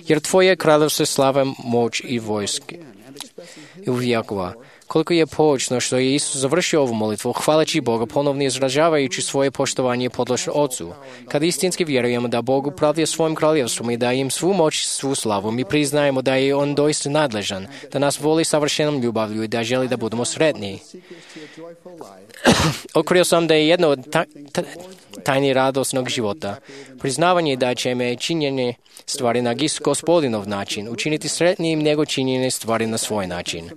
Jer Tvoje kraljevstvo slava, moć i vojske i uvijekova. Koliko je poučno što je Isus završio ovu molitvu, hvaleći Boga, ponovno izražavajući svoje poštovanje i podložnost Ocu. Kad istinski vjerujemo da Bog upravlja svojim kraljevstvom i da im svu moć i svu slavu, mi priznajemo da je On doista nadležan, da nas voli savršenom ljubavlju i da želi da budemo sretni. Otkrio sam da je jedno od tajni radosnog života priznavanje da će me činjenje stvari na Gospodinov način učiniti sretnijim nego činjenje stvari na svoj način.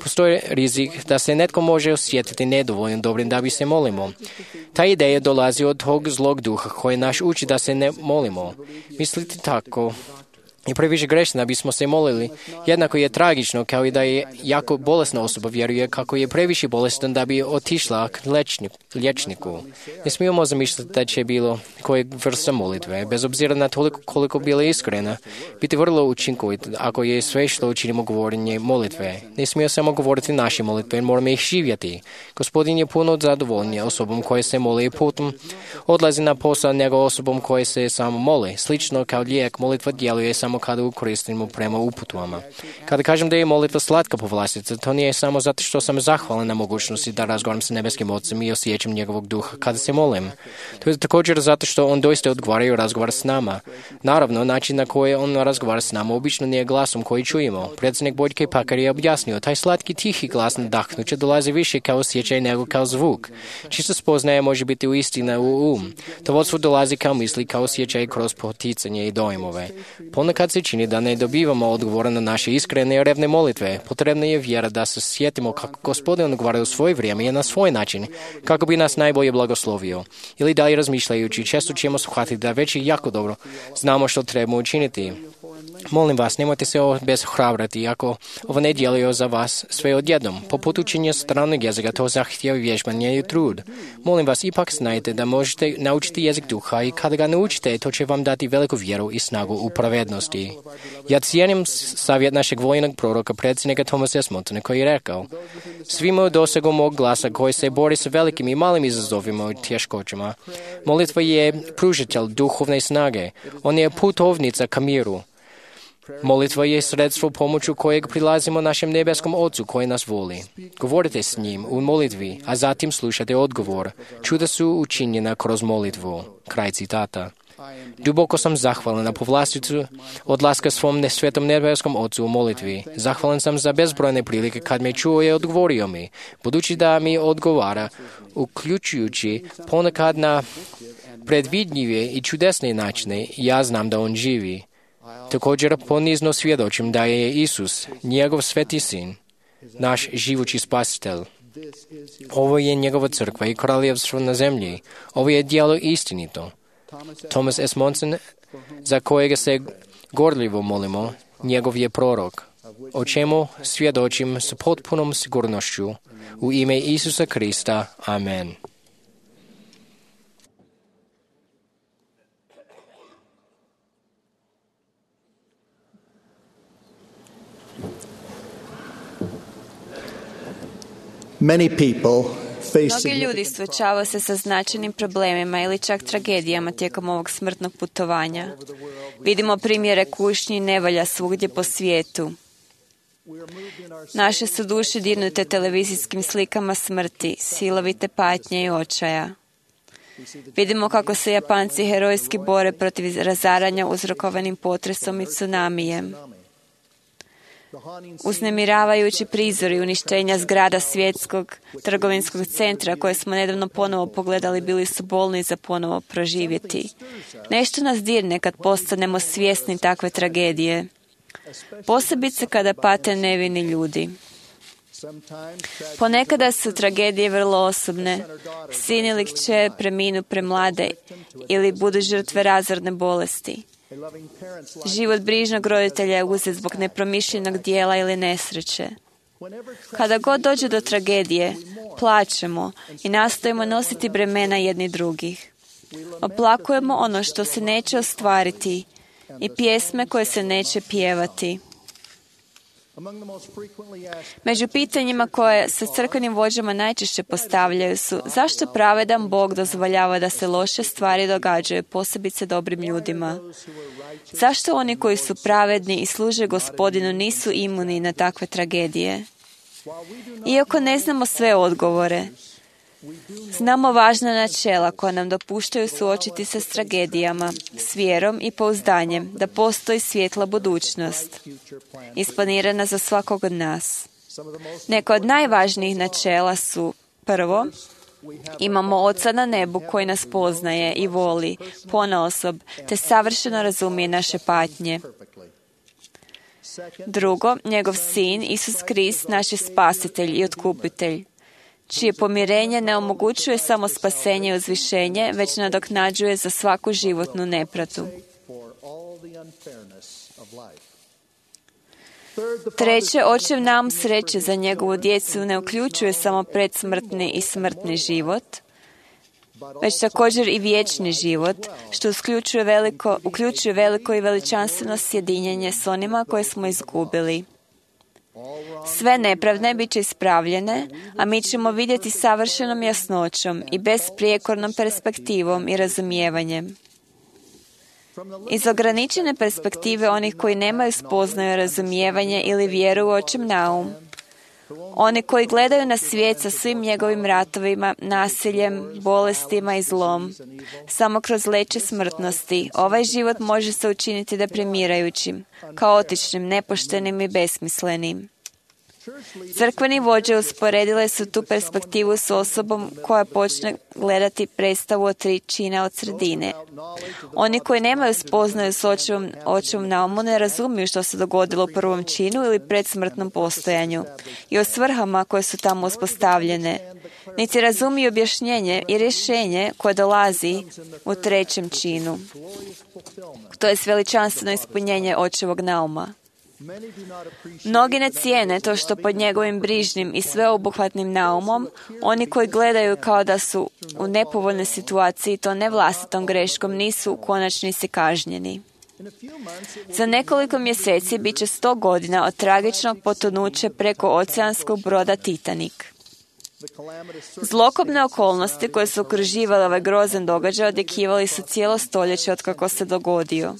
Postoji rizik da se netko može osjetiti nedovoljno dobrim da bi se molimo. Ta ideja dolazi od tog zlog duha koji nas uči da se ne molimo. Misliti tako i previše grešno da bismo se molili. Jednako je tragično kao i da je jako bolesna osoba vjeruje kako je previše bolestan da bi otišla k liječniku. Ne smijemo zamišljati da će bilo koje vrsta molitve, bez obzira na toliko koliko bila iskrena, biti vrlo učinkovita ako je sve što učinimo govorenje molitve. Ne smijemo samo govoriti naše molitve, moramo ih živjeti. Gospodin je puno zadovoljnije osobom koje se moli i potom odlazi na posao nego osobom koje se samo moli. Slično kao lijek, molitva djeluje samo kada koristimo prema uputama. Kada kažem da je molitva slatka povlastica, to nije samo zato što sam zahvalan na mogućnosti da razgovaram sa nebeskim Otcem i osjećam njegovog duha kada se molim. To je također zato što on doista odgovara i razgovara s nama. Naravno, način na koji on razgovara s nama obično nije glasom koji čujemo. Predsjednik Boljke Pakar je objasnio, taj slatki tihi glas nadahnuće dolazi više kao osjećaj nego kao zvuk. Čisto spoznaje može biti u istina u To vodstvo dolazi kao misli, kao osjećaj kroz poticanje i dojmove. Ponekad se čini da ne dobivamo odgovora na naše iskrene i revne molitve. Potrebna je vjera da se sjetimo kako Gospodin odgovara u svoje vrijeme i na svoj način, kako bi nas najbolje blagoslovio. Ili dalje razmišljajući, često ćemo shvatiti da već i jako dobro znamo što trebamo učiniti. Molim vas, nemojte se obeshrabrati ako ovo ne djeluje za vas sve odjednom. Poput učenja stranog jezika to zahtijeva vježbanje i trud. Molim vas, ipak znajte da možete naučiti jezik duha i kada ga naučite, to će vam dati veliku vjeru i snagu u pravednosti. Ja cijenim savjet našeg vojnog proroka, predsjednika Thomasa S. Montana, koji je rekao: svi imaju dosegu mog glasa koji se bori sa velikim i malim izazovima i tješkoćama. Molitva je pružitelj duhovne snage. On je putovnica ka miru. Molitva je sredstvo pomoću kojeg prilazimo našem nebeskom Ocu koji nas voli. Govorite s njim u molitvi, a zatim slušate odgovor. Čuda su učinjena kroz molitvu. Kraj citata. Duboko sam zahvalan na povlasticu odlaska svom svetom nebeskom Ocu u molitvi. Zahvalan sam za bezbrojne prilike kad me čuo i odgovorio mi, budući da mi odgovara, uključujući ponekad na predvidljive i čudesne načine, ja znam da on živi. Također ponizno svjedočim da je Isus, njegov sveti sin, naš živući spasitelj. Ovo je njegova crkva i kraljevstvo na zemlji. Ovo je djelo istinito. Thomas S. Monson, za kojega se gorljivo molimo, njegov je prorok, o čemu svjedočim s potpunom sigurnošću. U ime Isusa Krista. Amen. Mnogi ljudi suočavaju se sa značajnim problemima ili čak tragedijama tijekom ovog smrtnog putovanja. Vidimo primjere kušnji i nevolja svugdje po svijetu. Naše su duše dirnute televizijskim slikama smrti, silovite patnje i očaja. Vidimo kako se Japanci herojski bore protiv razaranja uzrokovanim potresom i tsunamijem. Uznemiravajući prizori uništenja zgrada svjetskog trgovinskog centra koje smo nedavno ponovo pogledali bili su bolni za ponovo proživjeti. Nešto nas dirne kad postanemo svjesni takve tragedije, posebice kada pate nevini ljudi. Ponekada su tragedije vrlo osobne. Sin ili kćer preminu premlade ili budu žrtve razorne bolesti. Život brižnog roditelja je uzet zbog nepromišljenog dijela ili nesreće. Kada god dođe do tragedije, plačemo i nastojimo nositi bremena jedni drugih. Oplakujemo ono što se neće ostvariti i pjesme koje se neće pjevati. Među pitanjima koje se crkvenim vođama najčešće postavljaju su: zašto pravedan Bog dozvoljava da se loše stvari događaju, posebice dobrim ljudima? Zašto oni koji su pravedni i služe Gospodinu nisu imuni na takve tragedije? Iako ne znamo sve odgovore, znamo važna načela koja nam dopuštaju suočiti se s tragedijama, s vjerom i pouzdanjem da postoji svjetla budućnost, isplanirana za svakog od nas. Neka od najvažnijih načela su: prvo, imamo Oca na nebu koji nas poznaje i voli ponaosob te savršeno razumije naše patnje. Drugo, njegov Sin, Isus Krist, naš je spasitelj i otkupitelj, čije pomirenje ne omogućuje samo spasenje i uzvišenje, već nadoknađuje za svaku životnu nepravdu. Treće, očev naum sreće za njegovu djecu ne uključuje samo predsmrtni i smrtni život, već također i vječni život, što uključuje veliko i veličanstveno sjedinjenje s onima koje smo izgubili. Sve nepravde bit će ispravljene, a mi ćemo vidjeti savršenom jasnoćom i besprijekornom perspektivom i razumijevanjem. Iz ograničene perspektive onih koji nemaju spoznaju razumijevanje ili vjeru u očev naum, oni koji gledaju na svijet sa svim njegovim ratovima, nasiljem, bolestima i zlom, samo kroz leće smrtnosti, ovaj život može se učiniti deprimirajućim, kaotičnim, nepoštenim i besmislenim. Crkveni vođe usporedile su tu perspektivu s osobom koja počne gledati predstavu od 3 čina od sredine. Oni koji nemaju spoznaju s očevom naumu ne razumiju što se dogodilo u prvom činu ili predsmrtnom postojanju i o svrhama koje su tamo uspostavljene, niti razumiju objašnjenje i rješenje koje dolazi u 3. činu. To je veličanstveno ispunjenje očevog nauma. Mnogi ne cijene to što pod njegovim brižnim i sveobuhvatnim naumom, oni koji gledaju kao da su u nepovoljnoj situaciji, to ne vlastitom greškom, nisu u konačnici kažnjeni. Za nekoliko mjeseci bit će 100 godina od tragičnog potonuća preko oceanskog broda Titanic. Zlokobne okolnosti koje su okruživale ovaj grozan događaj odjekivali su cijelo stoljeće od kako se dogodio.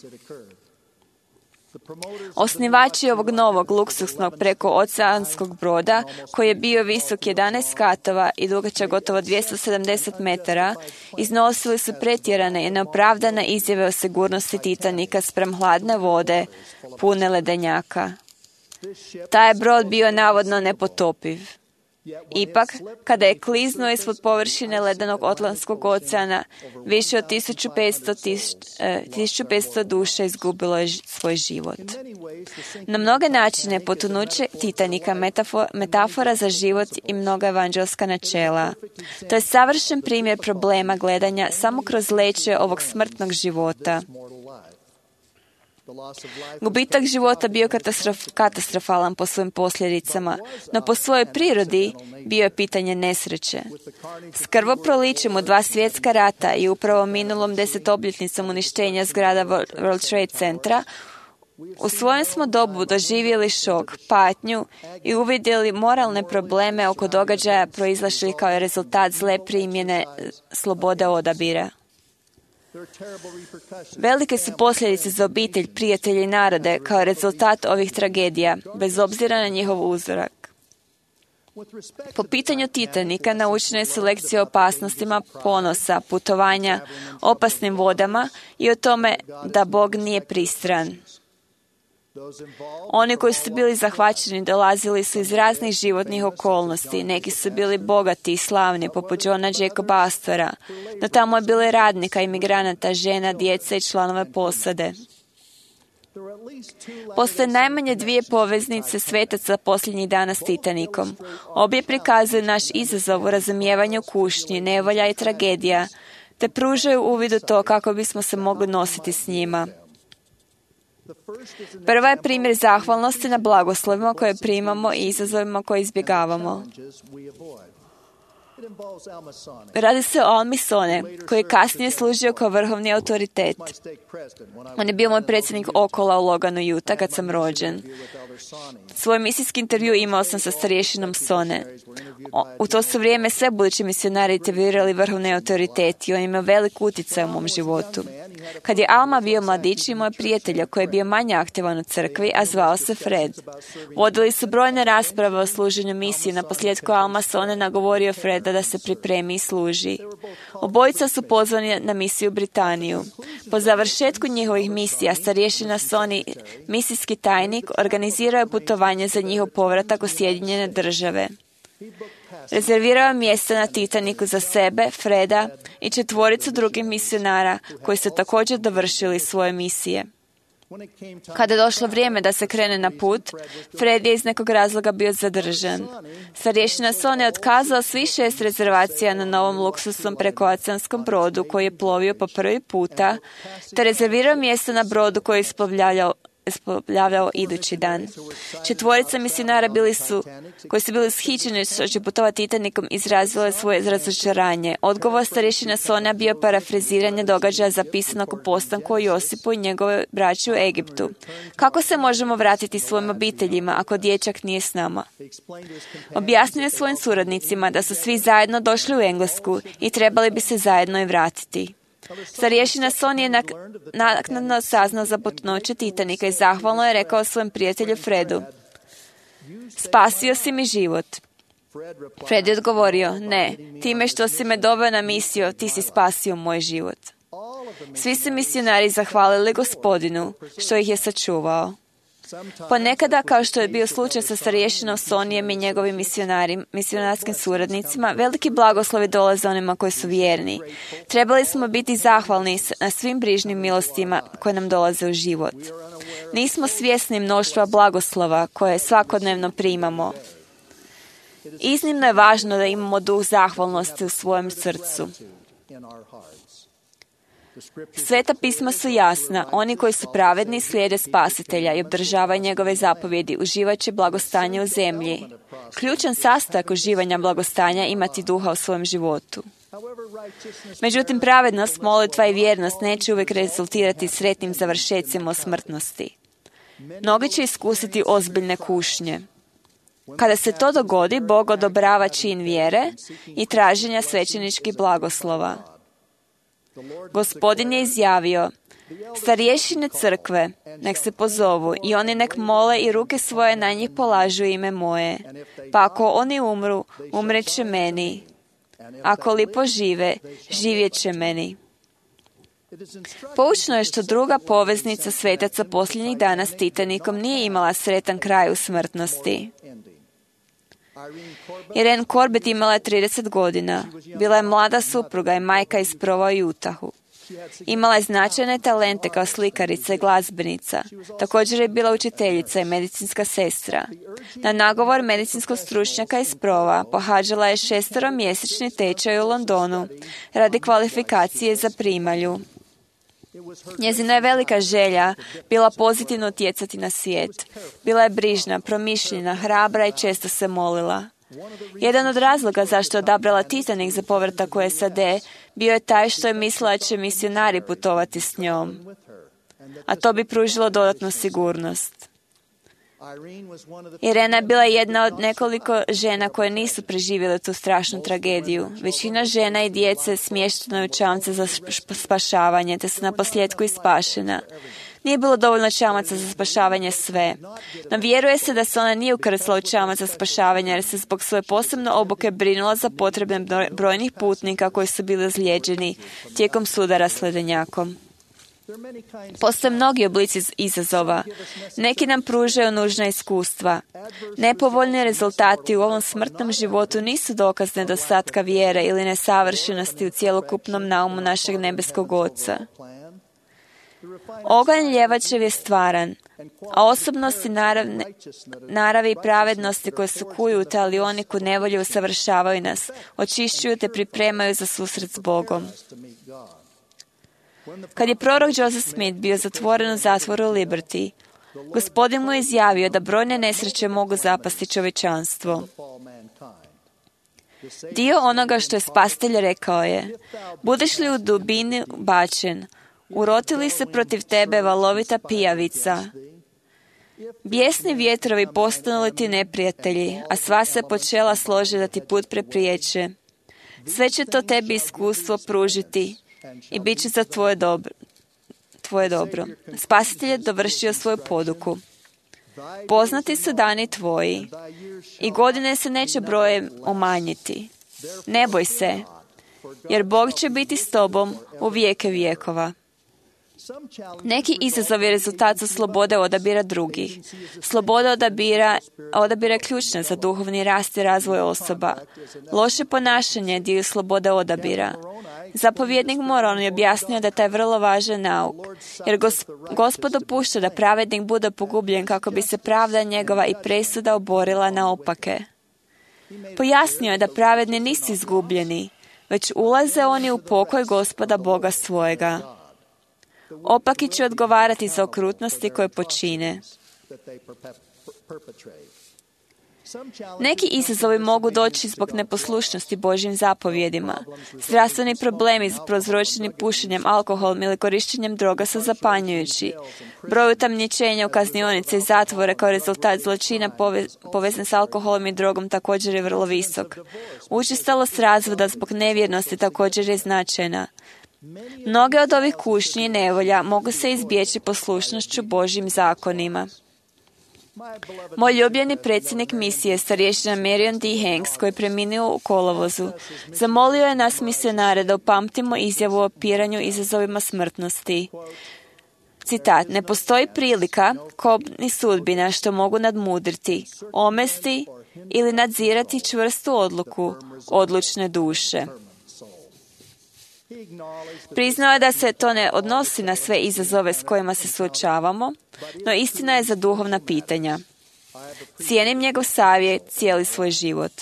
Osnivači ovog novog luksusnog prekooceanskog broda, koji je bio visok 11 katova i dugačak gotovo 270 metara, iznosili su pretjerane i neopravdane izjave o sigurnosti Titanika spram hladne vode, pune ledenjaka. Taj je brod bio navodno nepotopiv. Ipak, kada je kliznuo ispod površine ledenog Atlantskog oceana, više od 1500 duša izgubilo je svoj život. Na mnoge načine potonuće Titanika metafora za život i mnoga evanđelska načela. To je savršen primjer problema gledanja samo kroz leće ovog smrtnog života. Gubitak života bio katastrofalan po svojim posljedicama, no po svojoj prirodi bio je pitanje nesreće. S krvoprolićem u 2 svjetska rata i upravo minulom 10-obljetnicom uništenja zgrada World Trade Centra, u svojem smo dobu doživjeli šok, patnju i uvidjeli moralne probleme oko događaja proizašli kao rezultat zle primjene slobode odabira. Velike su posljedice za obitelj, prijatelje i narode kao rezultat ovih tragedija, bez obzira na njihov uzorak. Po pitanju Titanika naučene su lekcije o opasnostima ponosa, putovanja, opasnim vodama i o tome da Bog nije pristran. Oni koji su bili zahvaćeni dolazili su iz raznih životnih okolnosti. Neki su bili bogati i slavni, poput Johna Jacoba Astora, no tamo je bilo i radnika, imigranata, žena, djece i članove posade. Postoje najmanje 2 poveznice svetaca posljednjih dana s Titanikom. Obje prikazuju naš izazov u razumijevanju kušnji, nevolja i tragedija, te pružaju uvid u to kako bismo se mogli nositi s njima. Prva je primjer zahvalnosti na blagoslovima koje primamo i izazovima koje izbjegavamo. Radi se o Almisone, koji je kasnije služio kao vrhovni autoritet. On je bio moj predsjednik Okola u Loganu, Utah, kad sam rođen. Svoj misijski intervju imao sam sa starješinom Sone. U to su vrijeme sve budući misionari intervjuirali vrhovne autoriteti i on ima velik utjecaj u mom životu. Kad je Alma bio mladić, imao je prijatelja koji je bio manje aktivan u crkvi, a zvao se Fred. Vodili su brojne rasprave o služenju misiji. Na posljedku Alma Sone nagovorio Freda da se pripremi i služi. Obojica su pozvani na misiju u Britaniju. Po završetku njihovih misija, starješina Soni, misijski tajnik, organizirao je putovanje za njihov povratak u Sjedinjene Države. Rezervirao je mjesta na Titaniku za sebe, Freda i 4 drugih misionara koji su također dovršili svoje misije. Kada je došlo vrijeme da se krene na put, Fred je iz nekog razloga bio zadržan. Starješina Soni je otkazao svih 6 rezervacija na novom luksusnom prekooceanskom brodu koji je plovio po prvi puta, te rezervirao mjesto na brodu koji je isplovljavao idući dan. 4 misionara koji su bili ushićeni što će putovati Titanikom, izrazilo svoje razočaranje. Odgovor starješina Sona bio parafraziranje događaja zapisanog u postanku o Josipu i njegove braći u Egiptu. Kako se možemo vratiti svojim obiteljima ako dječak nije s nama? Objasnio je svojim suradnicima da su svi zajedno došli u Englesku i trebali bi se zajedno i vratiti. Starješina Soni je naknadno saznao za potonuće Titanika i zahvalno je rekao svojem prijatelju Fredu: "Spasio si mi život." Fred je odgovorio: "Ne, time što si me doveo na misiju, ti si spasio moj život." Svi su misionari zahvalili Gospodinu što ih je sačuvao. Ponekada, kao što je bio slučaj sa starješinom Sonijem i njegovim misionarskim suradnicima, veliki blagoslovi dolaze onima koji su vjerni. Trebali smo biti zahvalni na svim brižnim milostima koje nam dolaze u život. Nismo svjesni mnoštva blagoslova koje svakodnevno primamo. Iznimno je važno da imamo duh zahvalnosti u svojem srcu. Sveta pisma su jasna. Oni koji su pravedni slijede Spasitelja i obdržavaju njegove zapovjedi, uživat će blagostanje u zemlji. Ključan sastojak uživanja blagostanja imati duha u svojem životu. Međutim, pravednost, molitva i vjernost neće uvijek rezultirati sretnim završecima o smrtnosti. Mnogi će iskusiti ozbiljne kušnje. Kada se to dogodi, Bog odobrava čin vjere i traženja svećeničkih blagoslova. Gospodin je izjavio: "Starješine crkve nek se pozovu i oni nek mole i ruke svoje na njih polažu ime moje. Pa ako oni umru, umreće meni. Ako li požive, živjet će meni." Poučno je što druga poveznica svetaca posljednjih dana s Titanikom nije imala sretan kraj u smrtnosti. Irene Corbett imala je 30 godina. Bila je mlada supruga i majka iz Prova u Utahu. Imala je značajne talente kao slikarica i glazbenica. Također je bila učiteljica i medicinska sestra. Na nagovor medicinskog stručnjaka iz Prova pohađala je 6-mjesečni tečaj u Londonu radi kvalifikacije za primalju. Njezina je velika želja bila pozitivno utjecati na svijet. Bila je brižna, promišljena, hrabra i često se molila. Jedan od razloga zašto je odabrala Titanic za povratak u SAD bio je taj što je mislila da će misionari putovati s njom, a to bi pružilo dodatnu sigurnost. Irena je bila jedna od nekoliko žena koje nisu preživjele tu strašnu tragediju. Većina žena i djece smještena je u čamce za spašavanje, te su naposljetku i spašena. Nije bilo dovoljno čamaca za spašavanje sve, no vjeruje se da se ona nije ukrcala u čamac za spašavanje jer se zbog svoje posebne obuke brinula za potrebe brojnih putnika koji su bili ozlijeđeni tijekom sudara s ledenjakom. Postoje mnogi oblici izazova. Neki nam pružaju nužna iskustva. Nepovoljni rezultati u ovom smrtnom životu nisu dokaz nedostatka vjere ili nesavršenosti u cjelokupnom naumu našeg nebeskog Oca. Oganj ljevačev je stvaran, a osobnosti naravi i pravednosti koje se kuju u talioniku nevolje usavršavaju nas, očišćuju te pripremaju za susret s Bogom. Kad je prorok Joseph Smith bio zatvoren u zatvoru Liberty, Gospodin mu je izjavio da brojne nesreće mogu zapasti čovječanstvo. Dio onoga što je Spasitelj rekao je: budeš li u dubini bačen, uroti li se protiv tebe valovita pijavica, bijesni vjetrovi postanu li ti neprijatelji, a sva se počela složi da ti put prepriječe, sve će to tebi iskustvo pružiti i bit će za tvoje dobro. Spasitelj je dovršio svoju poduku. Poznati su dani tvoji i godine se neće brojem umanjiti. Ne boj se, jer Bog će biti s tobom u vijeke vijekova. Neki izazovi rezultat su slobode odabira drugih. Sloboda odabira je ključna za duhovni rast i razvoj osoba. Loše ponašanje je dio slobode odabira. Zapovjednik Moron je objasnio da je taj vrlo važan nauk, jer Gospod dopušta da pravednik bude pogubljen kako bi se pravda njegova i presuda oborila naopake. Pojasnio je da pravedni nisu izgubljeni, već ulaze oni u pokoj Gospoda Boga svojega. Opaki će odgovarati za okrutnosti koje počine. Neki izazovi mogu doći zbog neposlušnosti Božjim zapovjedima. Zdravstveni problemi prouzročeni pušenjem, alkoholom ili korištenjem droga su zapanjujući. Broj utamničenja u kaznionice i zatvore kao rezultat zločina povezan s alkoholom i drogom također je vrlo visok. Učestalost razvoda zbog nevjernosti također je značajna. Mnoge od ovih kušnji i nevolja mogu se izbjeći poslušnošću Božjim zakonima. Moj ljubljeni predsjednik misije, starješina Marion D. Hanks, koji je preminuo u kolovozu, zamolio je nas misionare da upamtimo izjavu o opiranju izazovima smrtnosti. Citat: ne postoji prilika, kobni sudbina što mogu nadmudriti, omesti ili nadzirati čvrstu odluku odlučne duše. Priznao je da se to ne odnosi na sve izazove s kojima se suočavamo, no istina je za duhovna pitanja. Cijenim njegov savjet cijeli svoj život.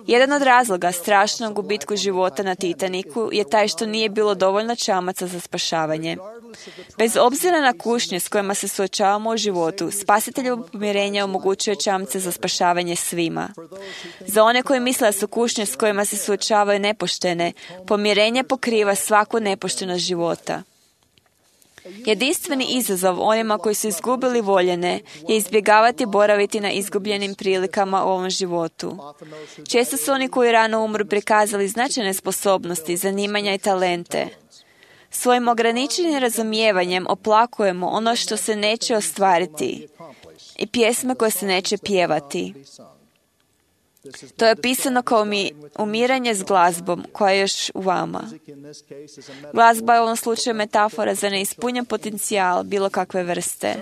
Jedan od razloga strašnog gubitku života na Titaniku je taj što nije bilo dovoljno čamaca za spašavanje. Bez obzira na kušnje s kojima se suočavamo u životu, Spasiteljevo pomirenje omogućuje čamce za spašavanje svima. Za one koji misle da su kušnje s kojima se suočavaju nepoštene, pomirenje pokriva svaku nepoštenost života. Jedinstveni izazov onima koji su izgubili voljene je izbjegavati boraviti na izgubljenim prilikama u ovom životu. Često su oni koji rano umru prikazali značajne sposobnosti, zanimanja i talente. Svojim ograničenim razumijevanjem oplakujemo ono što se neće ostvariti i pjesme koje se neće pjevati. To je opisano kao umiranje s glazbom koja je još u vama. Glazba je u ovom slučaju metafora za neispunjen potencijal bilo kakve vrste.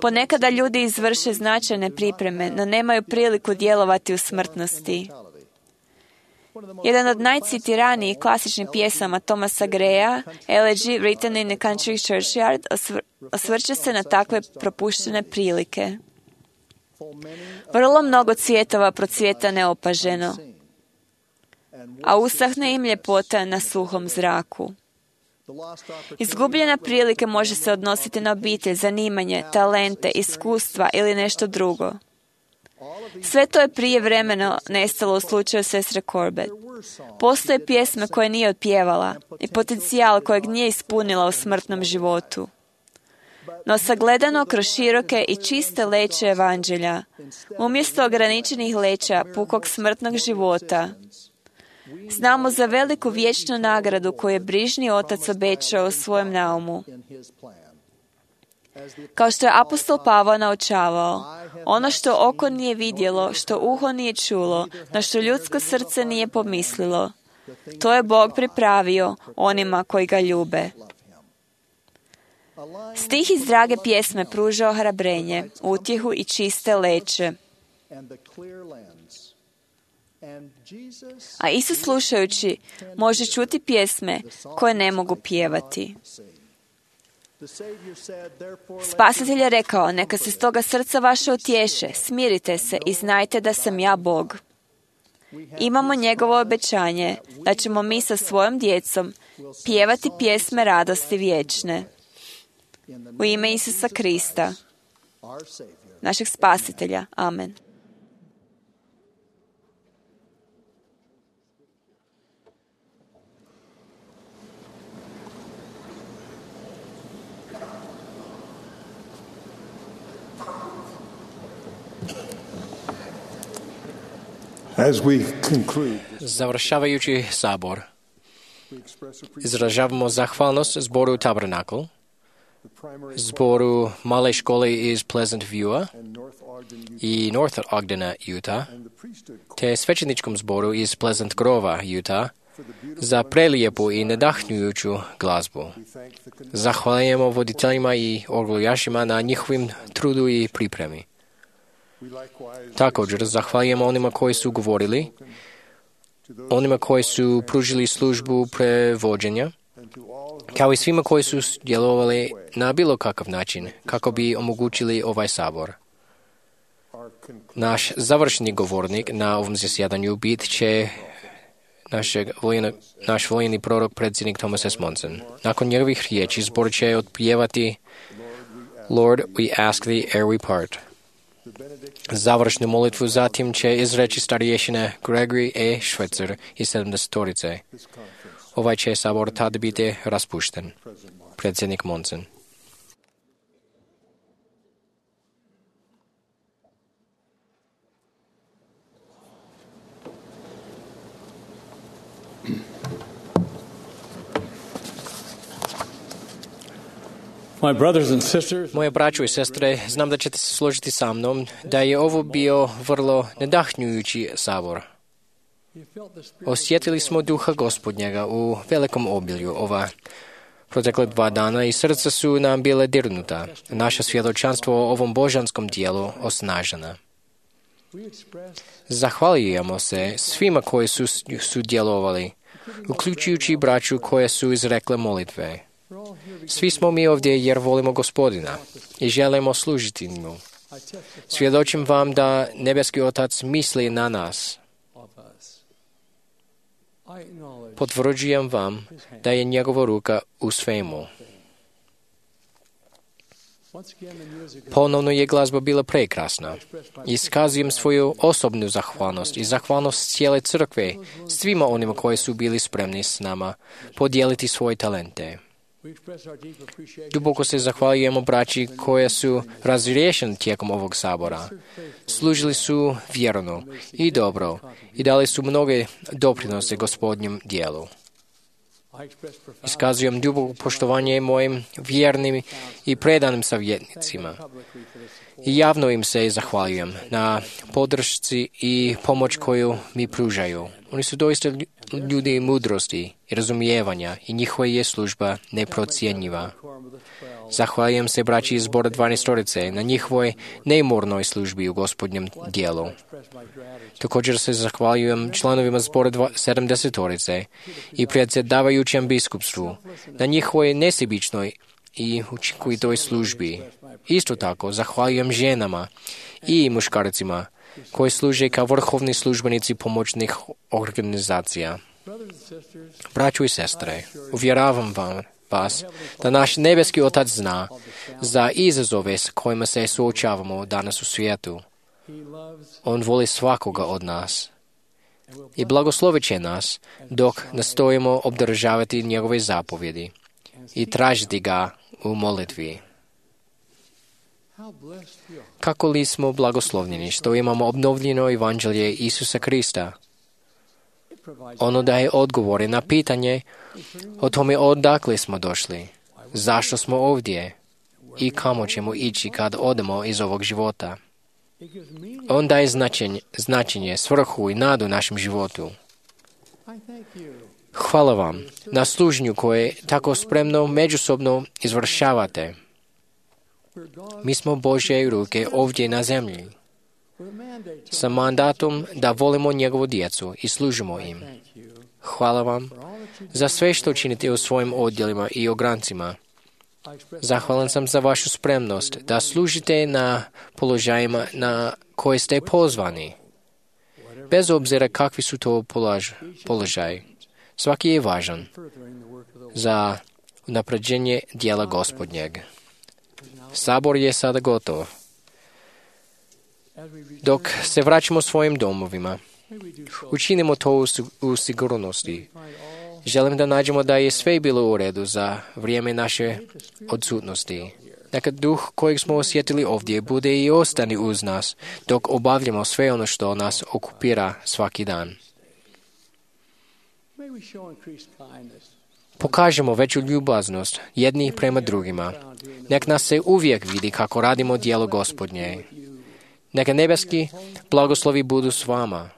Ponekada ljudi izvrše značajne pripreme, no nemaju priliku djelovati u smrtnosti. Jedan od najcitiranijih klasičnih pjesama Thomasa Greya, Elegy Written in the Country Churchyard, osvrće se na takve propuštene prilike. Vrlo mnogo cvjetova procvjeta neopaženo, a usahne im ljepota na suhom zraku. Izgubljena prilike može se odnositi na obitelj, zanimanje, talente, iskustva ili nešto drugo. Sve to je prijevremeno nestalo u slučaju sestre Corbett. Postoje pjesme koje nije otpjevala i potencijal kojeg nije ispunila u smrtnom životu. No sagledano kroz široke i čiste leće evanđelja, umjesto ograničenih leća pukog smrtnog života, znamo za veliku vječnu nagradu koju je brižni otac obećao u svojem naumu. Kao što je apostol Pavao naučavao, ono što oko nije vidjelo, što uho nije čulo, na što ljudsko srce nije pomislilo, to je Bog pripravio onima koji ga ljube. Stih iz drage pjesme pruža ohrabrenje, utjehu i čiste leće. A Isus slušajući može čuti pjesme koje ne mogu pjevati. Spasitelj je rekao, neka se stoga srca vaše utješe, smirite se i znajte da sam ja Bog. Imamo njegovo obećanje da ćemo mi sa svojom djecom pjevati pjesme radosti vječne. U ime Isusa Krista, našeg Spasitelja. Amen. Završavajući sabor, izražavamo zahvalnost zboru Tabernakl, zboru male škole iz Pleasant Viewa i North Ogdena, Utah, te svećeničkom zboru iz Pleasant Grova, Utah, za prelijepu i nadahnjujuću glazbu. Zahvaljujemo voditeljima i orguljašima na njihovim trudu i pripremi. Također, zahvaljujemo onima koji su govorili, onima koji su pružili službu prevođenja, kao i svima koji su djelovali na bilo kakav način kako bi omogućili ovaj sabor. Naš završni govornik na ovom zasjedanju bit će naš voljeni prorok, predsjednik Thomas S. Monson. Nakon njegovih riječi zbor će otpjevati Lord, we ask thee ere we part. Završnu molitvu zatim će izreći starješine Gregory E. Schweitzer iz 70-torice. Ovaj će sabor tad biti raspušten. Predsjednik Monson. Moje braćo i sestre, znam da ćete se složiti sa mnom da je ovo bio vrlo nadahnjujući sabor. Osjetili smo duha Gospodnjega u velikom obilju ova protekle 2 dana i srca su nam bile dirnuta. Naše svjedočanstvo o ovom božanskom dijelu osnažena. Zahvaljujemo se svima koji su sudjelovali, uključujući braću koje su izrekle molitve. Svi smo mi ovdje jer volimo Gospodina i želimo služiti mu. Svjedočim vam da nebeski Otac misli na nas. Potvrđujem vam da je njegova ruka u svemu. Ponovno je glazba bila prekrasna. Iskazujem svoju osobnu zahvalnost i zahvalnost cijele crkve svima onima koji su bili spremni s nama podijeliti svoje talente. Duboko se zahvaljujemo braći koje su razriješeni tijekom ovog sabora. Služili su vjerno i dobro i dali su mnoge doprinose Gospodnjem dijelu. Iskazujem duboko poštovanje mojim vjernim i predanim savjetnicima. I javno im se zahvaljujem na podršci i pomoć koju mi pružaju. Oni su doista ljudi mudrosti i razumijevanja i njihova je služba neprocjenjiva. Zahvaljujem se braći iz zbora 12 na njihovoj neumornoj službi u Gospodnjem dijelu. Također se zahvaljujem članovima zbora 70 i predsjedavajućem biskupstvu na njihovoj nesebičnoj i učinkovitoj službi. Isto tako, zahvaljujem ženama i muškarcima koji služe kao vrhovni službenici pomoćnih organizacija. Braćo i sestre, uvjeravam vas da naš nebeski Otac zna za izazove s kojima se suočavamo danas u svijetu. On voli svakoga od nas i blagoslovit će nas dok nastojimo obdržavati njegove zapovjedi i tražiti ga u molitvi. Kako li smo blagoslovljeni što imamo obnovljeno evanđelje Isusa Krista? Ono daje odgovore na pitanje o tome odakle smo došli, zašto smo ovdje i kamo ćemo ići kad odemo iz ovog života. On daje značenje, svrhu i nadu našem životu. Hvala vam na služnju koje tako spremno međusobno izvršavate. Mi smo Božje ruke ovdje na zemlji, sa mandatom da volimo njegovu djecu i služimo im. Hvala vam za sve što činite u svojim odjelima i ograncima. Zahvalan sam za vašu spremnost da služite na položajima na koje ste pozvani. Bez obzira kakvi su to položaji, svaki je važan za unapređenje dijela Gospodnjeg. Sabor je sada gotov. Dok se vraćamo svojim domovima, učinimo to u sigurnosti. Želim da nađemo da je sve bilo u redu za vrijeme naše odsutnosti. Neka duh kojeg smo osjetili ovdje bude i ostane uz nas dok obavljamo sve ono što nas okupira svaki dan. Pokažemo veću ljubaznost jednih prema drugima. Nek nas se uvijek vidi kako radimo djelo Gospodnje. Neka nebeski blagoslovi budu s vama.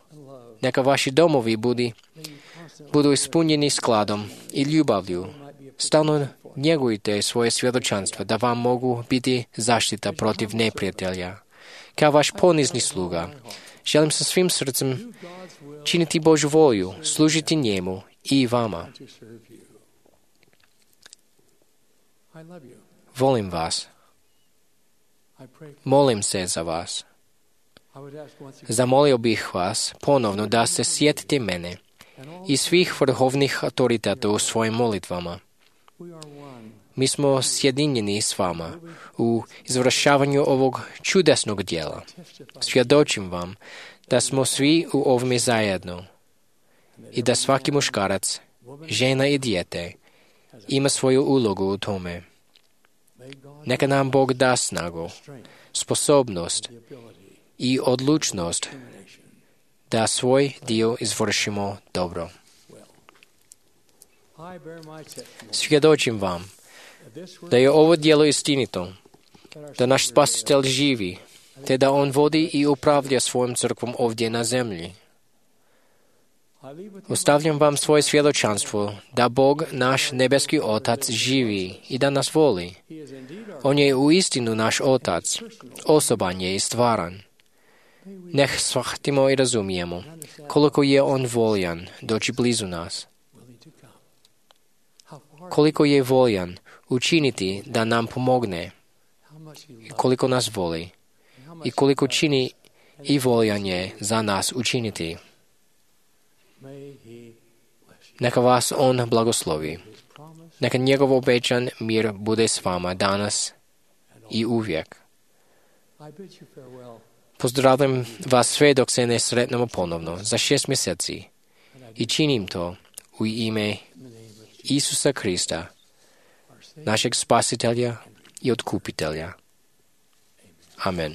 Neka vaši domovi budu ispunjeni skladom i ljubavlju. Stalno njegujte svoje svjedočanstva da vam mogu biti zaštita protiv neprijatelja. Kao vaš ponizni sluga, želim sa svim srcem činiti Božju volju, služiti njemu i vama. Volim vas. Molim se za vas. Zamolio bih vas ponovno da se sjetite mene i svih vrhovnih autoriteta u svojim molitvama. Mi smo sjedinjeni s vama u izvršavanju ovog čudesnog djela. Svjedočim vam da smo svi u ovome zajedno i da svaki muškarac, žena i dijete ima svoju ulogu u tome. Neka nam Bog da snagu, sposobnost i odlučnost da svoj dio izvršimo dobro. Svjedočim vam da je ovo djelo istinito, da naš Spasitelj živi, te da On vodi i upravlja svojom crkvom ovdje na zemlji. Ostavljam vam svoje svjedočanstvo da Bog, naš nebeski Otac, živi i da nas voli. On je uistinu naš Otac, osoban je i stvaran. Neh shvatimo i razumijemo koliko je On voljan doći blizu nas. Koliko je voljan učiniti da nam pomogne. Koliko nas voli. I koliko čini i voljan je za nas učiniti. Neka vas On blagoslovi. Neka njegov obećan mir bude s vama danas i uvijek. Pozdravljam vas sve dok se ne sretnemo ponovno za 6 mjeseci i činim to u ime Isusa Krista, našeg Spasitelja i Otkupitelja. Amen.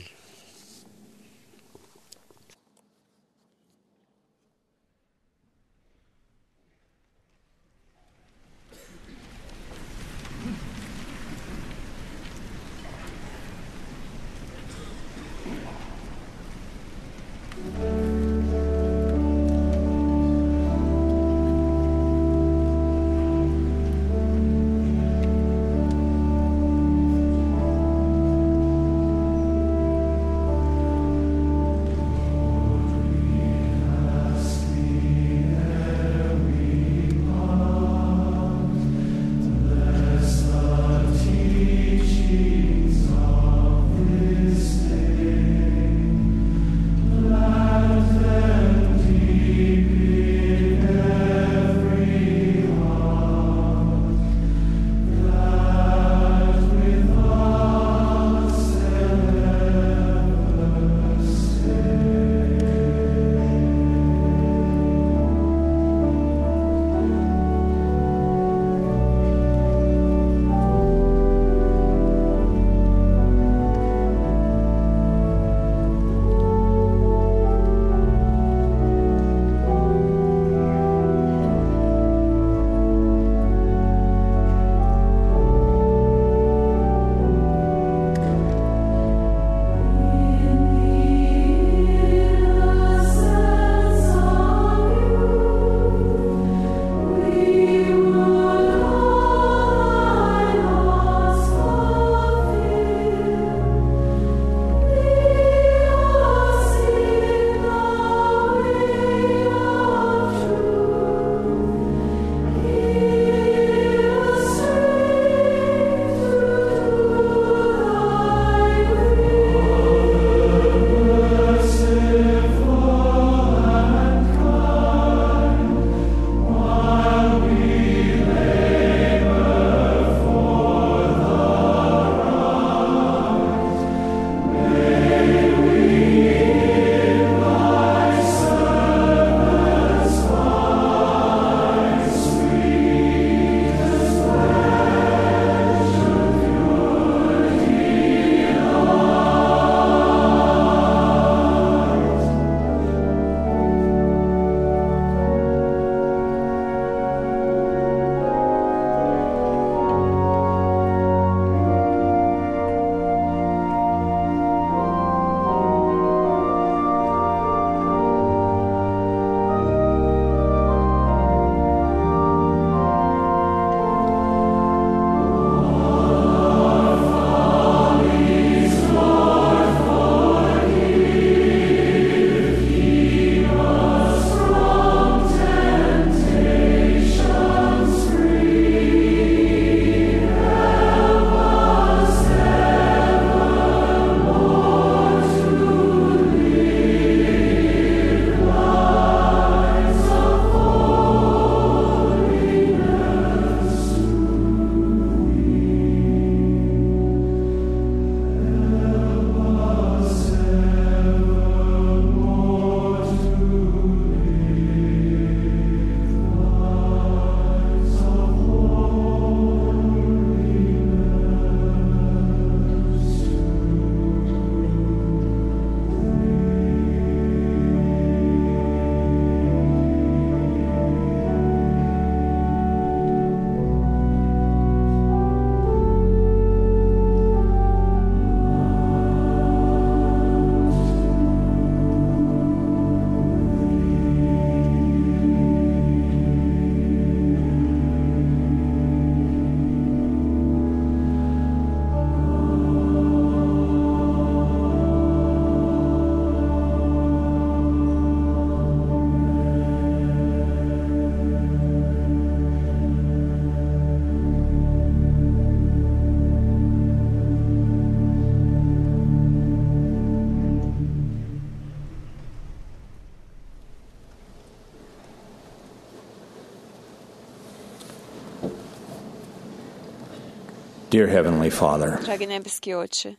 Dear Heavenly Father, Dragi nebeski Oče,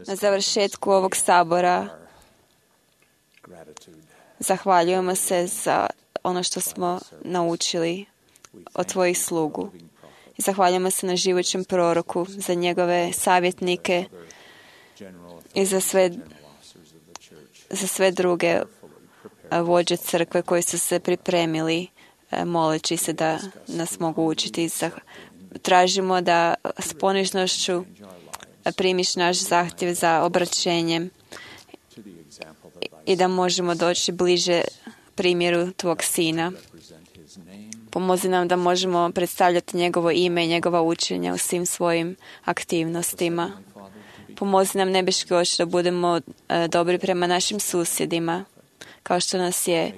na završetku ovog sabora zahvaljujemo se za ono što smo naučili od Tvojih slugu. I zahvaljujemo se na živućem proroku, za njegove savjetnike i za sve druge vođe crkve koji su se pripremili moleći se da nas mogu učiti. Tražimo da s ponižnošću primiš naš zahtjev za obraćenjem i da možemo doći bliže primjeru Tvog Sina. Pomozi nam da možemo predstavljati njegovo ime i njegova učenja u svim svojim aktivnostima. Pomozi nam, nebeski Oče, da budemo dobri prema našim susjedima, kao što nas je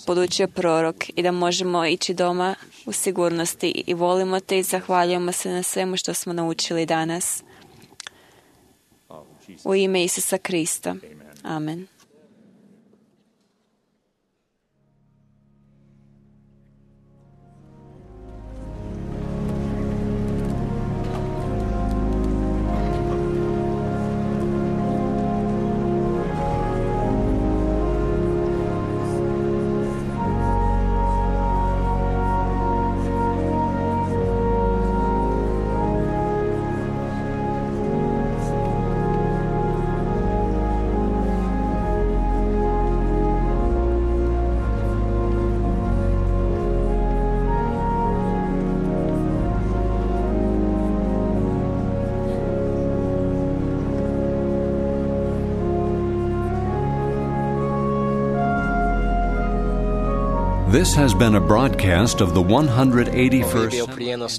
podučio prorok, i da možemo ići doma u sigurnosti. I volimo Te i zahvaljujemo se na svemu što smo naučili danas. U ime Isusa Krista. Amen. This has been a broadcast of the 181st Ovo je bio prijenos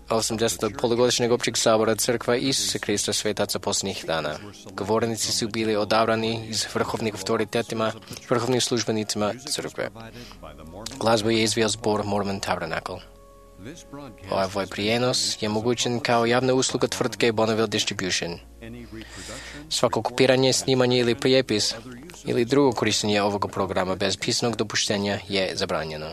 180. polugodišnjeg općeg sabora Crkva Isuse Krista svetaca posljednjih dana. Govornici su bili odabrani iz vrhovnih autoritetima, vrhovnim službenicima Crkve. Glazbu je izveo zbor Mormon Tabernacle. Ovaj prijenos je mogućen kao javna usluga tvrtke Bonneville Distribution. Svako kopiranje, snimanje ili prijepis ili drugo korištenje ovog programa bez pisanog dopuštenja je zabranjeno.